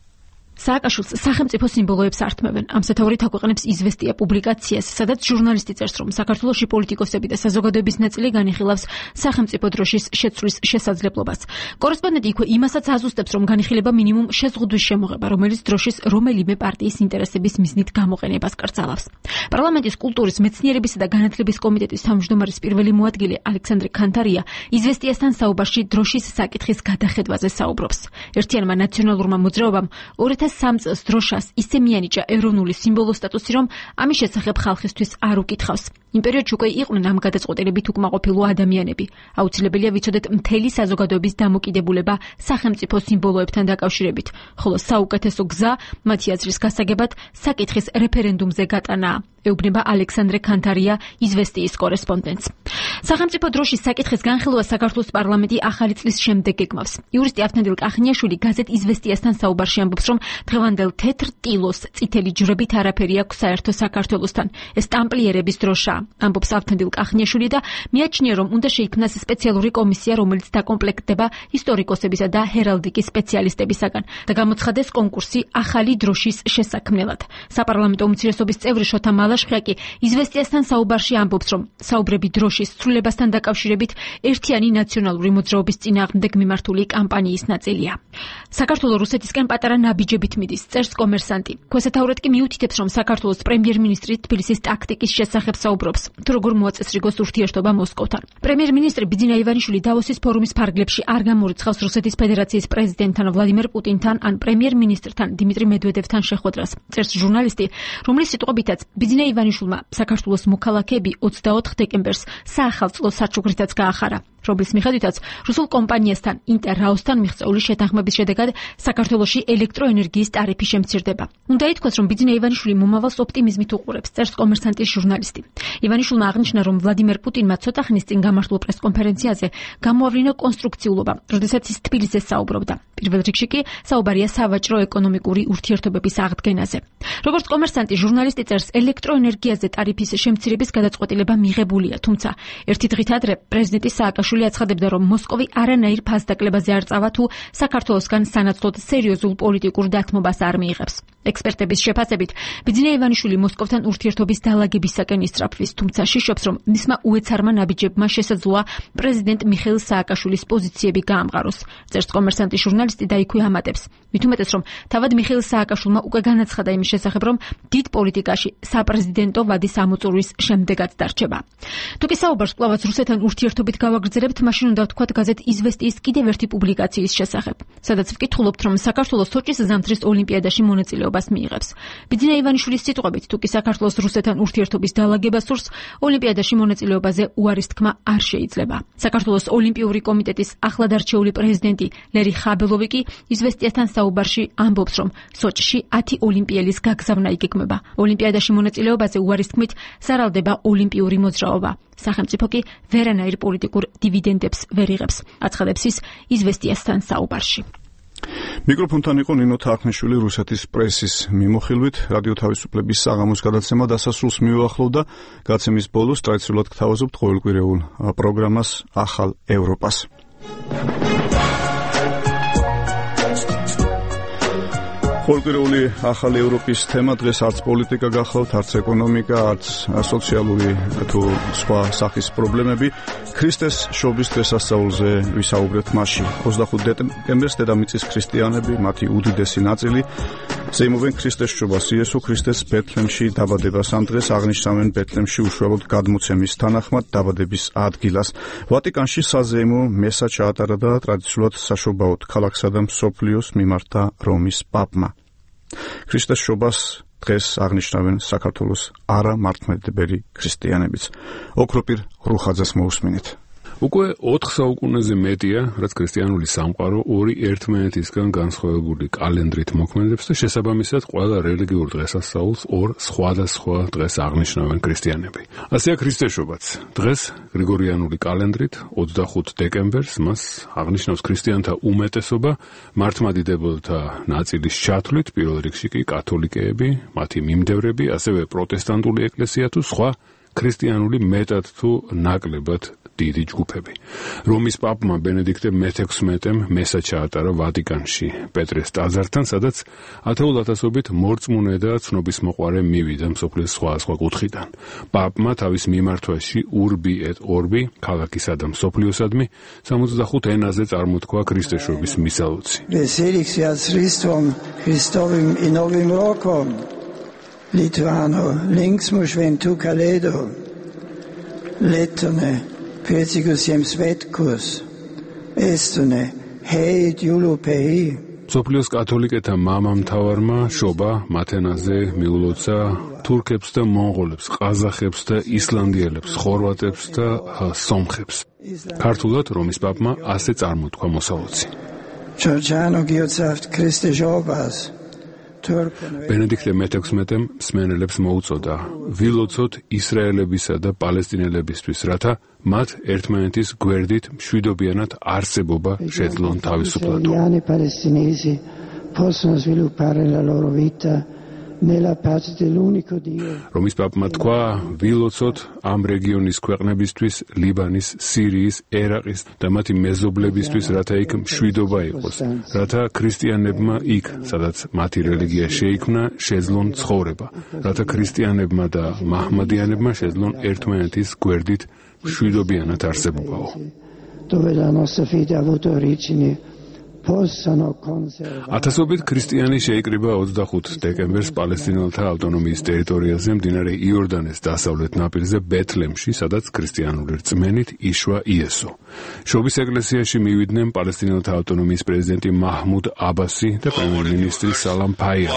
სააკაშვილს სახელმწიფო სიმბოლოებს ართმევენ. ამ სათაურით აქვეყნებს იზვესტია პუბლიკაციას, სადაც ჟურნალისტი წერს, რომ საქართველოში პოლიტიკოსები და საზოგადოების ნაწილი განიხილავს სახელმწიფო დროშის შეცვლის შესაძლებლობას. კორესპონდენტი იქვე იმასაც აზუსტებს, რომ განიხილება მინიმუმ შეზღუდვის შემოღება, რომელიც დროშის რომელიმე პარტიის ინტერესების მიზნით გამოყენებას კრძალავს. პარლამენტის კულტურის, მეცნიერებისა და განათლების კომიტეტის თავმჯდომარის პირველი მოადგილე ალექსანდრე ქანთარია იზვესტიასთან საუბარში დროშის საკითხის გადახედვაზე საუბრობს. ერთიანმა ნაციონალურმა მოძრაობამ ორი ათას სამი წელს დროშას ისე მიანიჭა ეროვნული სიმბოლო სტატუსი, რომ ამის შესახებ ხალხისთვის არ უკითხავს. იმ პერიოდში უკვე იყვნენ ამ გადაწყვეტილებით უკმაყოფილო ადამიანები. აუცილებელია ვიცოდეთ მთელი საზოგადოების დამოკიდებულება სახელმწიფო სიმბოლოებთან დაკავშირებით, ხოლო საუკეთესო გზა მათი აზრის გასაგებად საკითხის რეფერენდუმზე გატანაა. ეუბნება ალექსანდრე ქანთარია იზვესტიის კორესპონდენტს. სახელმწიფო დროშის საკითხის განხილვა საქართველოს პარლამენტი ახალი წლის შემდეგ ეკმავს. იურისტი ავთანდილ კახნიაშვილი გაზეთ იზვესტიასთან საუბარში ამბობს, რომ დღევანდელ თეთრ ტილოს წითელი ჯვრებით არაფერი აქვს საერთო საქართველოსთან. ეს ტამპლიერების დროშაა. ამბობს ავთანდილ კახნიაშვილი და მიაჩნია, რომ უნდა შეიქმნას სპეციალური კომისია, რომელიც დაკომპლექტდება ისტორიკოსებისა და ჰერალდიკის სპეციალისტებისაგან და გამოცხადეს კონკურსი ახალი დროშის შესაქმნელად. საპარლამენტო უმცირესობის წევრი შოთა მალაშხია კი იზვესტიასთან საუბარში ამბობს, რომ საუბრები დროშის ცვლილებასთან დაკავშირებით ერთიანი ნაციონალური მოძრაობის წინააღმდეგ მიმართული კამპანიის ნაწილია. საქართველოს რუსეთისკენ პატარა ნაბიჯებით მიდის, წერს კომერსანტი. ქვესათაურად კი მიუთითებს, რომ საქართველოს პრემიერ-მინისტრი თბილისის ტაქტიკის შესახებ საუბრობს, თუ როგორ მოაწესრიგოს ურთიერთობა მოსკოვთან. პრემიერ-მინისტრი ბიძინა ივანიშვილი დავოსის ფორუმის ფარგლებში არ გამორიცხავს რუსეთის ფედერაციის პრეზიდენტთან ვლადიმერ პუტინთან ან პრემიერ-მინისტრთან დიმიტრი მედვედევთან შეხვედრას. წერს ჟურნალისტი, რომლის სიტყვებითაც ბიძინა ივანიშვილმა საქართველოს მოქალაქეები ოცდაოთხ დეკემბერს საახალწლო საჩუქრითაც გაახარა, რომლის მიხედვითაც რუსულ კომპანიასთან ინტერრაოსთან მიღწეული შეთანხმების შედეგად საქართველოში ელექტროენერგიის ტარიფი შემცირდება. უნდა ითქვას, რომ ბიძინა ივანიშვილი მომავალს ოპტიმიზმით უყურებს, წერს კომერსანტის ჟურნალისტი. ივანიშვილმა აღნიშნა, რომ ვლადიმერ პუტინმა ცოტა ხნის წინ გამართულ პრესკონფერენციაზე გამოავლინა კონსტრუქციულობა, როდესაც ის თბილისზე საუბრობდა. პირველ რიგში კი საუბარია სავაჭრო-ეკონომიკური ურთიერთობების აღდგენაზე. როგორც კომერსანტი ჟურნალისტი წერს, ელექტროენერგიაზე ტარიფის შემცირების გადაწყვეტილება მიღებულია, თუმცა ერთი დღით ადრე პრეზიდენტი სააკაშვილი აცხადებდა, რომ მოსკოვი არანაირ ფასდაკლებაზე არ წავა თუ საქართველოსგან სანაცვლოდ სერიოზულ პოლიტიკურ დათმობას არ მიიღებს. ექსპერტების შეფასებით, ბიძინა ივანიშვილი მოსკოვთან ურთიერთობის დალაგებისაკენ ისწრაფვის, თუმცა შიშობს, რომ მისმა უეცარმა ნაბიჯებმა შესაძლოა პრეზიდენტ მიხეილ სააკაშვილის პოზიციები გაამყაროს. წერს კომერსანტი ჟურნალისტი და იქვე ამატებს. მით უმეტეს, რომ თავად მიხეილ სააკაშვილმა უკვე განაცხადა იმის შესახებ, რომ დიდ პოლიტიკაში საპრეზიდენტო ვადის ამოწურვის შემდეგაც დარჩება. თუკი საუბარს კვლავაც რუსეთთან ურთიერთობით გავაგრძელებთ, მაშინ უნდა ვთქვათ გაზეთ იზვესტიის კიდევ ერთი პუბლიკაციის შესახებ, სადაც ვკითხულობთ, რომ საქართველოს სოჭის ზამთრის ოლიმპიადაში მონაწილეობას მიიღებს. ბიძინა ივანიშვილის სიტყვებით, თუკი საქართველოს რუსეთთან ურთიერთობის დალაგება სურს, ოლიმპიადაში მონაწილეობაზე უარის თქმა არ შეიძლება. საქართველოს ოლიმპიური კომიტეტის ახლად არჩეული პრეზიდენტი ლერი ხაბელოვი კი იზვესტიასთან საუბარში ამბობს, რომ სოჭში ათი ოლიმპიელის გაგზავნა იგეგმება. ოლიმპიადაში მონაწილეობაზე უარის თქმით სარალდება ოლიმპიური მოძრაობა. სახელმწიფო კი ვერანაირ პოლიტიკურ დივიდენდებს ვერ იღებს, აცხადებს ის იზვესტიასთან საუბარში. მიკროფონთან იყო ნინო თაყნიშვილი რუსეთის პრესის მიმოხილვით. რადიო თავისუფლების საღამოს გადაცემა დასასრულს მიუახლოვდა. გაცემის ბოლოს ტრადიციულად გთავაზობთ ყოველკვირეულ პროგრამას ახალ ევროპას. ყოველკვირეული ახალი ევროპის თემა დღეს არც პოლიტიკა გახლავთ, არც ეკონომიკა, არც სოციალური თუ სხვა სახის პრობლემები. ქრისტეს შობის დღესასწაულზე ვისაუბრეთ მასში. ოცდახუთი დეკემბერს დედამიწის ქრისტიანები, მათი უდიდესი ნაწილი ზეიმობენ ქრისტეს შობას, იესო ქრისტეს ბეთლემში დაბადებას. ამ დღეს აღნიშნავენ ბეთლემში უშუალოდ გადმოცემის თანახმად დაბადების ადგილას. ვატიკანში საზეიმო მესა ჩაატარა და ტრადიციულად საშობაოდ ქალაქსა და მსოფლიოს მიმართა რომის პაპმა. ქრისტეს შობას დღეს აღნიშნავენ საქართველოს არამართლმადიდებელი ქრისტიანებიც. ოქროპირ რუხაძეს მოусმინეთ. უკვე ოთხ საუკუნეზე მეტია, რაც ქრისტიანული სამყარო ორი ერთმანეთისგან განსხვავებული კალენდრით მოქმედებს და შესაბამისად ყველა რელიგიურ დღესასწაულს ორ სხვადასხვა დღეს აღნიშნავენ ქრისტიანები. ასეა ქრისტეს შობაც. დღეს გრიგორიანული კალენდრით ოცდახუთი დეკემბერს მას აღნიშნავს ქრისტიანთა უმეტესობა, მართლმადიდებელთა ნაწილის ჩათვლით, პირველ რიგში კი კათოლიკეები, მათი მიმდევრები, ასევე პროტესტანტული ეკლესია თუ სხვა ქრისტიანული მეტად თუ ნაკლებად დიდი ჯგუფები. რომის პაპმა ბენედიქტე მეთექვსმეტემ მესა ჩაატარა ვატიკანში პეტრეს ტაძართან, სადაც ათეულ ათასობით მორწმუნე და ცნობისმოყვარე მივიდა მსოფლიოს სხვა სხვა კუთხიდან. პაპმა თავის მიმართვაში urbi et orbi, ქალაქისა და მსოფლიოსადმი სამოცდახუთ ენაზე წარმოთქვა ქრისტეს შობის მისალოცი. Veselicias Christum Christovim in novim rokom. Lituano, linksmo šventų kalėdų, Lietuvė, pėcikus jiems svetkus, Estonė, heit julupei. სოფლიოს კათოლიკეთა მამამთავარმა შობა მათენაზე მიულოცა თურქებს და მონღოლებს, ყაზახებს და ისლანდიელებს, ხორვატებს და სომხებს. ქართულად რომის პაპმა ასე წარმოთქვა მოსალოცი. Georgiano Giotsaft Christe Jobas. ბენედიქტე მეთექვსმეტემ მსმენელებს მოუწოდა ვილოცოთ ისრაელებისა და პალესტინელებისთვის, რათა მათ ერთმანეთის გვერდით მშვიდობიანად არსებობა შეძლონ თავისუფლად. Palestinesi possono sviluppare la loro vita რომ ის პაპმა თქვა, ვილოცოთ ამ რეგიონის ქვეყნებისთვის, ლიბანის, სირიის, ერაყის და მათი მეზობლებისთვის, რათა იქ მშვიდობა იყოს, რათა ქრისტიანებმა იქ, სადაც მათი რელიგია შეიქმნა, შეძლონ ცხოვრება, რათა ქრისტიანებმა და მაჰმადიანებმა შეძლონ ერთმანეთის გვერდით მშვიდობიანად არსებობაო. ათასობით ქრისტიანი შეიკრიბა ოცდახუთ დეკემბერს პალესტინელთა ავტონომიის ტერიტორიაზე მდინარე იორდანეს დასავლეთ ნაპირზე ბეთლემში, სადაც ქრისტიანული რწმენით იშვა იესო. შობის ეკლესიაში მივიდნენ პალესტინელთა ავტონომიის პრეზიდენტი მაჰმუდ აბასი და პრემიერ-მინისტრი სალამ ფაია.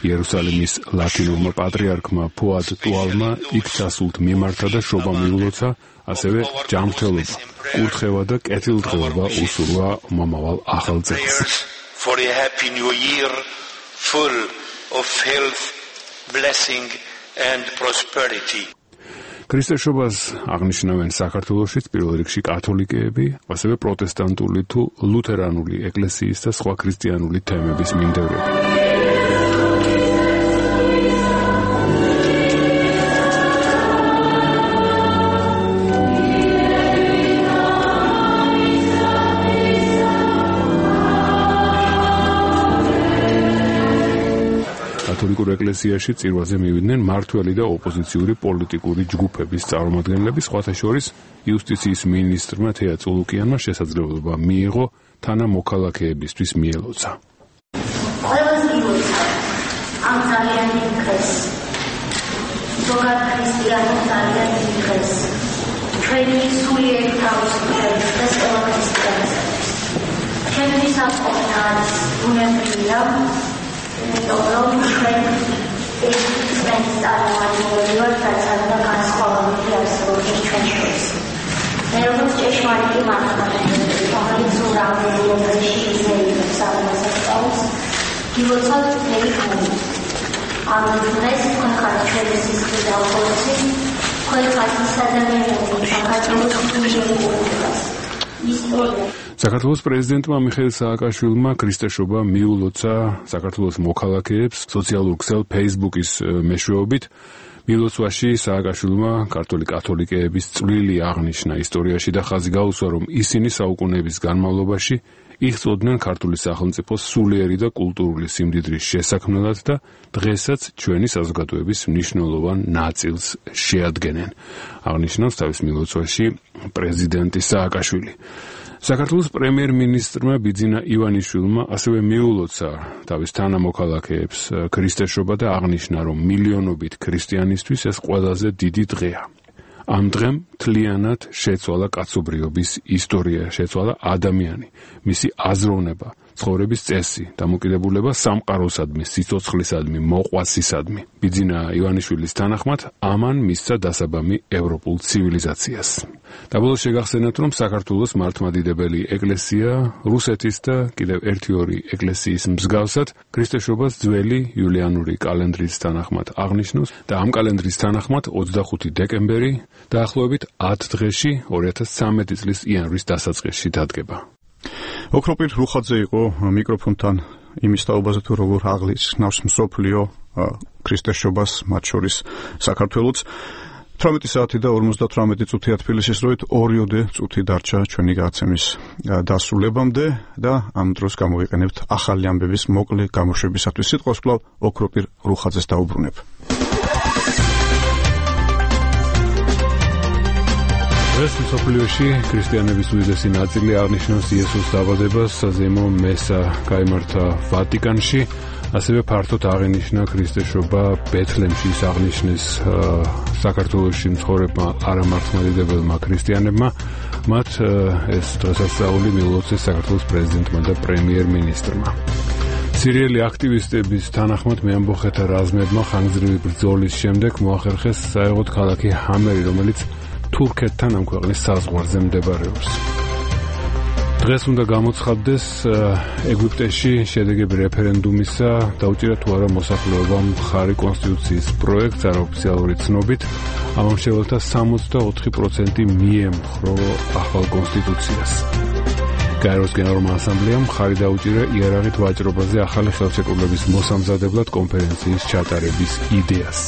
იერუსალიმის ლათინურმა პატრიარქმა ფუად ტუალმა იქ ჩასულთ მიმართა და შობა მიულოცა, ასევე ჯანმრთელობა, კურთხევა და კეთილდღეობა უსურვა მომავალ ახალ წელს. For a happy new year full of health, blessing and prosperity. ქრისტესობას აღნიშნავენ საქართველოშიც პირველ რიგში კათოლიკეები, ასევე პროტესტანტული თუ ლუთერანული ეკლესიის და სხვა ქრისტიანული თემების მიმდევრები. კათოლიკურ ეკლესიაში წირვაზე მივიდნენ მმართველი და ოპოზიციური პოლიტიკური ჯგუფების წარმომადგენლები, სხვათა შორის იუსტიციის მინისტრმა თეა წულუკიანმა შესაძლებლობა მიიღო თანამოქალაქეებისთვის მიელოცა. ყველაზე მიულოცა ამ ძალიან დიდ დღეს, ზოგად ქრისტიანულ ძალიან დიდ დღეს, ჩვენი სულიერი თავისუფლების და ყველა ქრისტიანის. ჩემთვის ამ ყოველდღიურ ბუნებრივია რომ ჩვენ ეს ჩვენი წარმომადგენლები ვართ, რაც და განსხვავებული არსებობს ჩვენ შორის. მე როგორც ჭეშმარიტი მართლმადიდებელი, რომელიც ურავნელობაში იზრდებოდა სამოსახლოს, გილოცავთ მთელი ხანი. ამ დღეს თქვენ ხართ ჩვენი სისხლის და ხორცი, თქვენ ხართ ის ადამიანები, საქართველოს უნივერსიტეტის ისტორია. საქართველოს პრეზიდენტმა მიხეილ სააკაშვილმა ქრისტესობა მიულოცა საქართველოს მოქალაქეებს სოციალურ ქსელ Facebook-ის მეშვეობით. მილოცვაში სააკაშვილმა ქართული კათოლიკეების წვლილი აღნიშნა ისტორიაში და ხაზი გაუსვა, რომ ისინი საუკუნეების განმავლობაში იღწოდნენ ქართული სახელმწიფოს სულიერი და კულტურული სიმდიდრის შესაქმნელად და დღესაც ჩვენი საზოგადოების მნიშვნელოვან ნაწილს შეადგენენ. აღნიშნავს თავის მილოცვაში პრეზიდენტი სააკაშვილი. საქართველოს პრემიერ-მინისტრმა ბიძინა ივანიშვილმა ასევე მიულოცა თავის თანამოქალაქეებს ქრისტესობა და აღნიშნა, რომ მილიონობით ქრისტიანისთვის ეს ყველაზე დიდი დღეა. ამ დღემ მთლიანად შეცვალა კაცობრიობის ისტორია, შეცვალა ადამიანი, მისი აზროვნება, ცხოვრების წესი, დამოკიდებულება სამყაროსადმი, სიცოცხლისადმი, მოყვასისადმი. ბიძინა ივანიშვილის თანახმად ამან მისცა დასაბამი ევროპულ ცივილიზაციას. და ბოლოს შეგახსენათ, რომ საქართველოს მართლმადიდებელი ეკლესია რუსეთის და კიდევ ერთი ორი ეკლესიის მსგავსად ქრისტესობას ძველი იულიანური კალენდრის თანახმად აღნიშნავს და ამ კალენდრის თანახმად ოცდახუთი დეკემბერი დაახლოებით ათ დღეში ორი ათას ცხრამეტი წლის იანვრის დასაწყისში დადგება. ოქროპირ რუხაძე იყო მიკროფონთან იმის თაობაზე, თუ როგორ აღნიშნავს მსოფლიო ქრისტესობას, მათ შორის საქართველოც. თვრამეტი საათი და ორმოცდათვრამეტი წუთია თბილისის დროით, ორიოდე წუთი დარჩა ჩვენი გადაცემის დასრულებამდე და ამ დროს გამოვიყენებთ ახალი ამბების მოკლე გამოშვებისათვის. სიტყვას კვლავ ოქროპირ რუხაძეს დაუბრუნებ. დღეს მსოფლიოში ქრისტიანების უდიდესი ნაწილი აღნიშნავს იესოს დაბადებას, საზეიმო მესა გაიმართა ვატიკანში, ასევე ფართოდ აღინიშნა ქრისტესობა ბეთლემში, ის აღნიშნეს საქართველოში მცხოვრებმა არამართლმადიდებელმა ქრისტიანებმა. მათ ეს დღესასწაული მიულოცეს საქართველოს პრეზიდენტმა და პრემიერ-მინისტრმა. სირიელი აქტივისტების თანახმად მეამბოხეთა რაზმებმა ხანგრძლივი ბრძოლის შემდეგ მოახერხეს საერთოდ ქალაქი ჰამერი, რომელიც თურქეთთან ამ ქვეყნის საზღვარზე მდებარეობს. დღეს უნდა გამოცხადდეს ეგვიპტეში შედეგები რეფერენდუმისა, დაუჭირა თუ არა მოსახლეობამ მხარი კონსტიტუციის პროექტს არაოფიციალური ცნობით, ამომრჩეველთა სამოცდაოთხი პროცენტი მიემხრო ახალ კონსტიტუციას. გაეროს გენერალურმა ასამბლეამ მხარი დაუჭირა იარაღით ვაჭრობაზე ახალი ხელშეკრულების მოსამზადებლად კონფერენციის ჩატარების იდეას.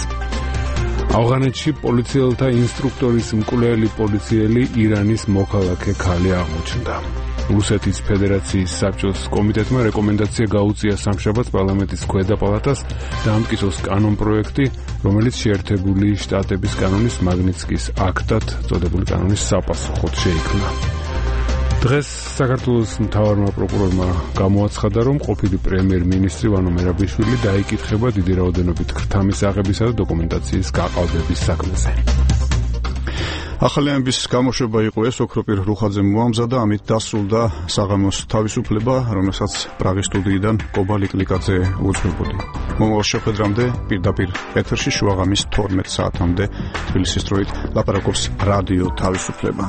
ავღანეთში პოლიციელთა ინსტრუქტორის მკვლელი პოლიციელი ირანის მოქალაქე ქალი აღმოჩნდა. რუსეთის ფედერაციის საბჭოს კომიტეტმა რეკომენდაცია გაუწია სამშაბათს პარლამენტის ქვედა პალატას დაამტკიცოს კანონპროექტი, რომელიც შეერთებული შტატების კანონის მაგნიცკის აქტად წოდებული კანონის საპასუხოდ შეიქმნა. დღეს საქართველოს მთავარმა პროკურორმა გამოაცხადა, რომ ყოფილი პრემიერ-მინისტრი ვანო მერაბიშვილი დაიკითხება დიდი რაოდენობით ქრთამის აღებისა და დოკუმენტაციის გაყალბების საქმეზე. ახალი ამბის გამოშვება იყო ეს, ოქროპირ რუხაძემ მოამზადა, ამით დასრულდა საღამოს თავისუფლება, რომელსაც პრაღის სტუდიიდან კობა ლიკლიკაძე უძღვებოდი. მომავალ შეხვედრამდე პირდაპირ ეთერში შუაღამის თორმეტ საათამდე თბილისის დროით ლაპარაკობს რადიო თავისუფლება.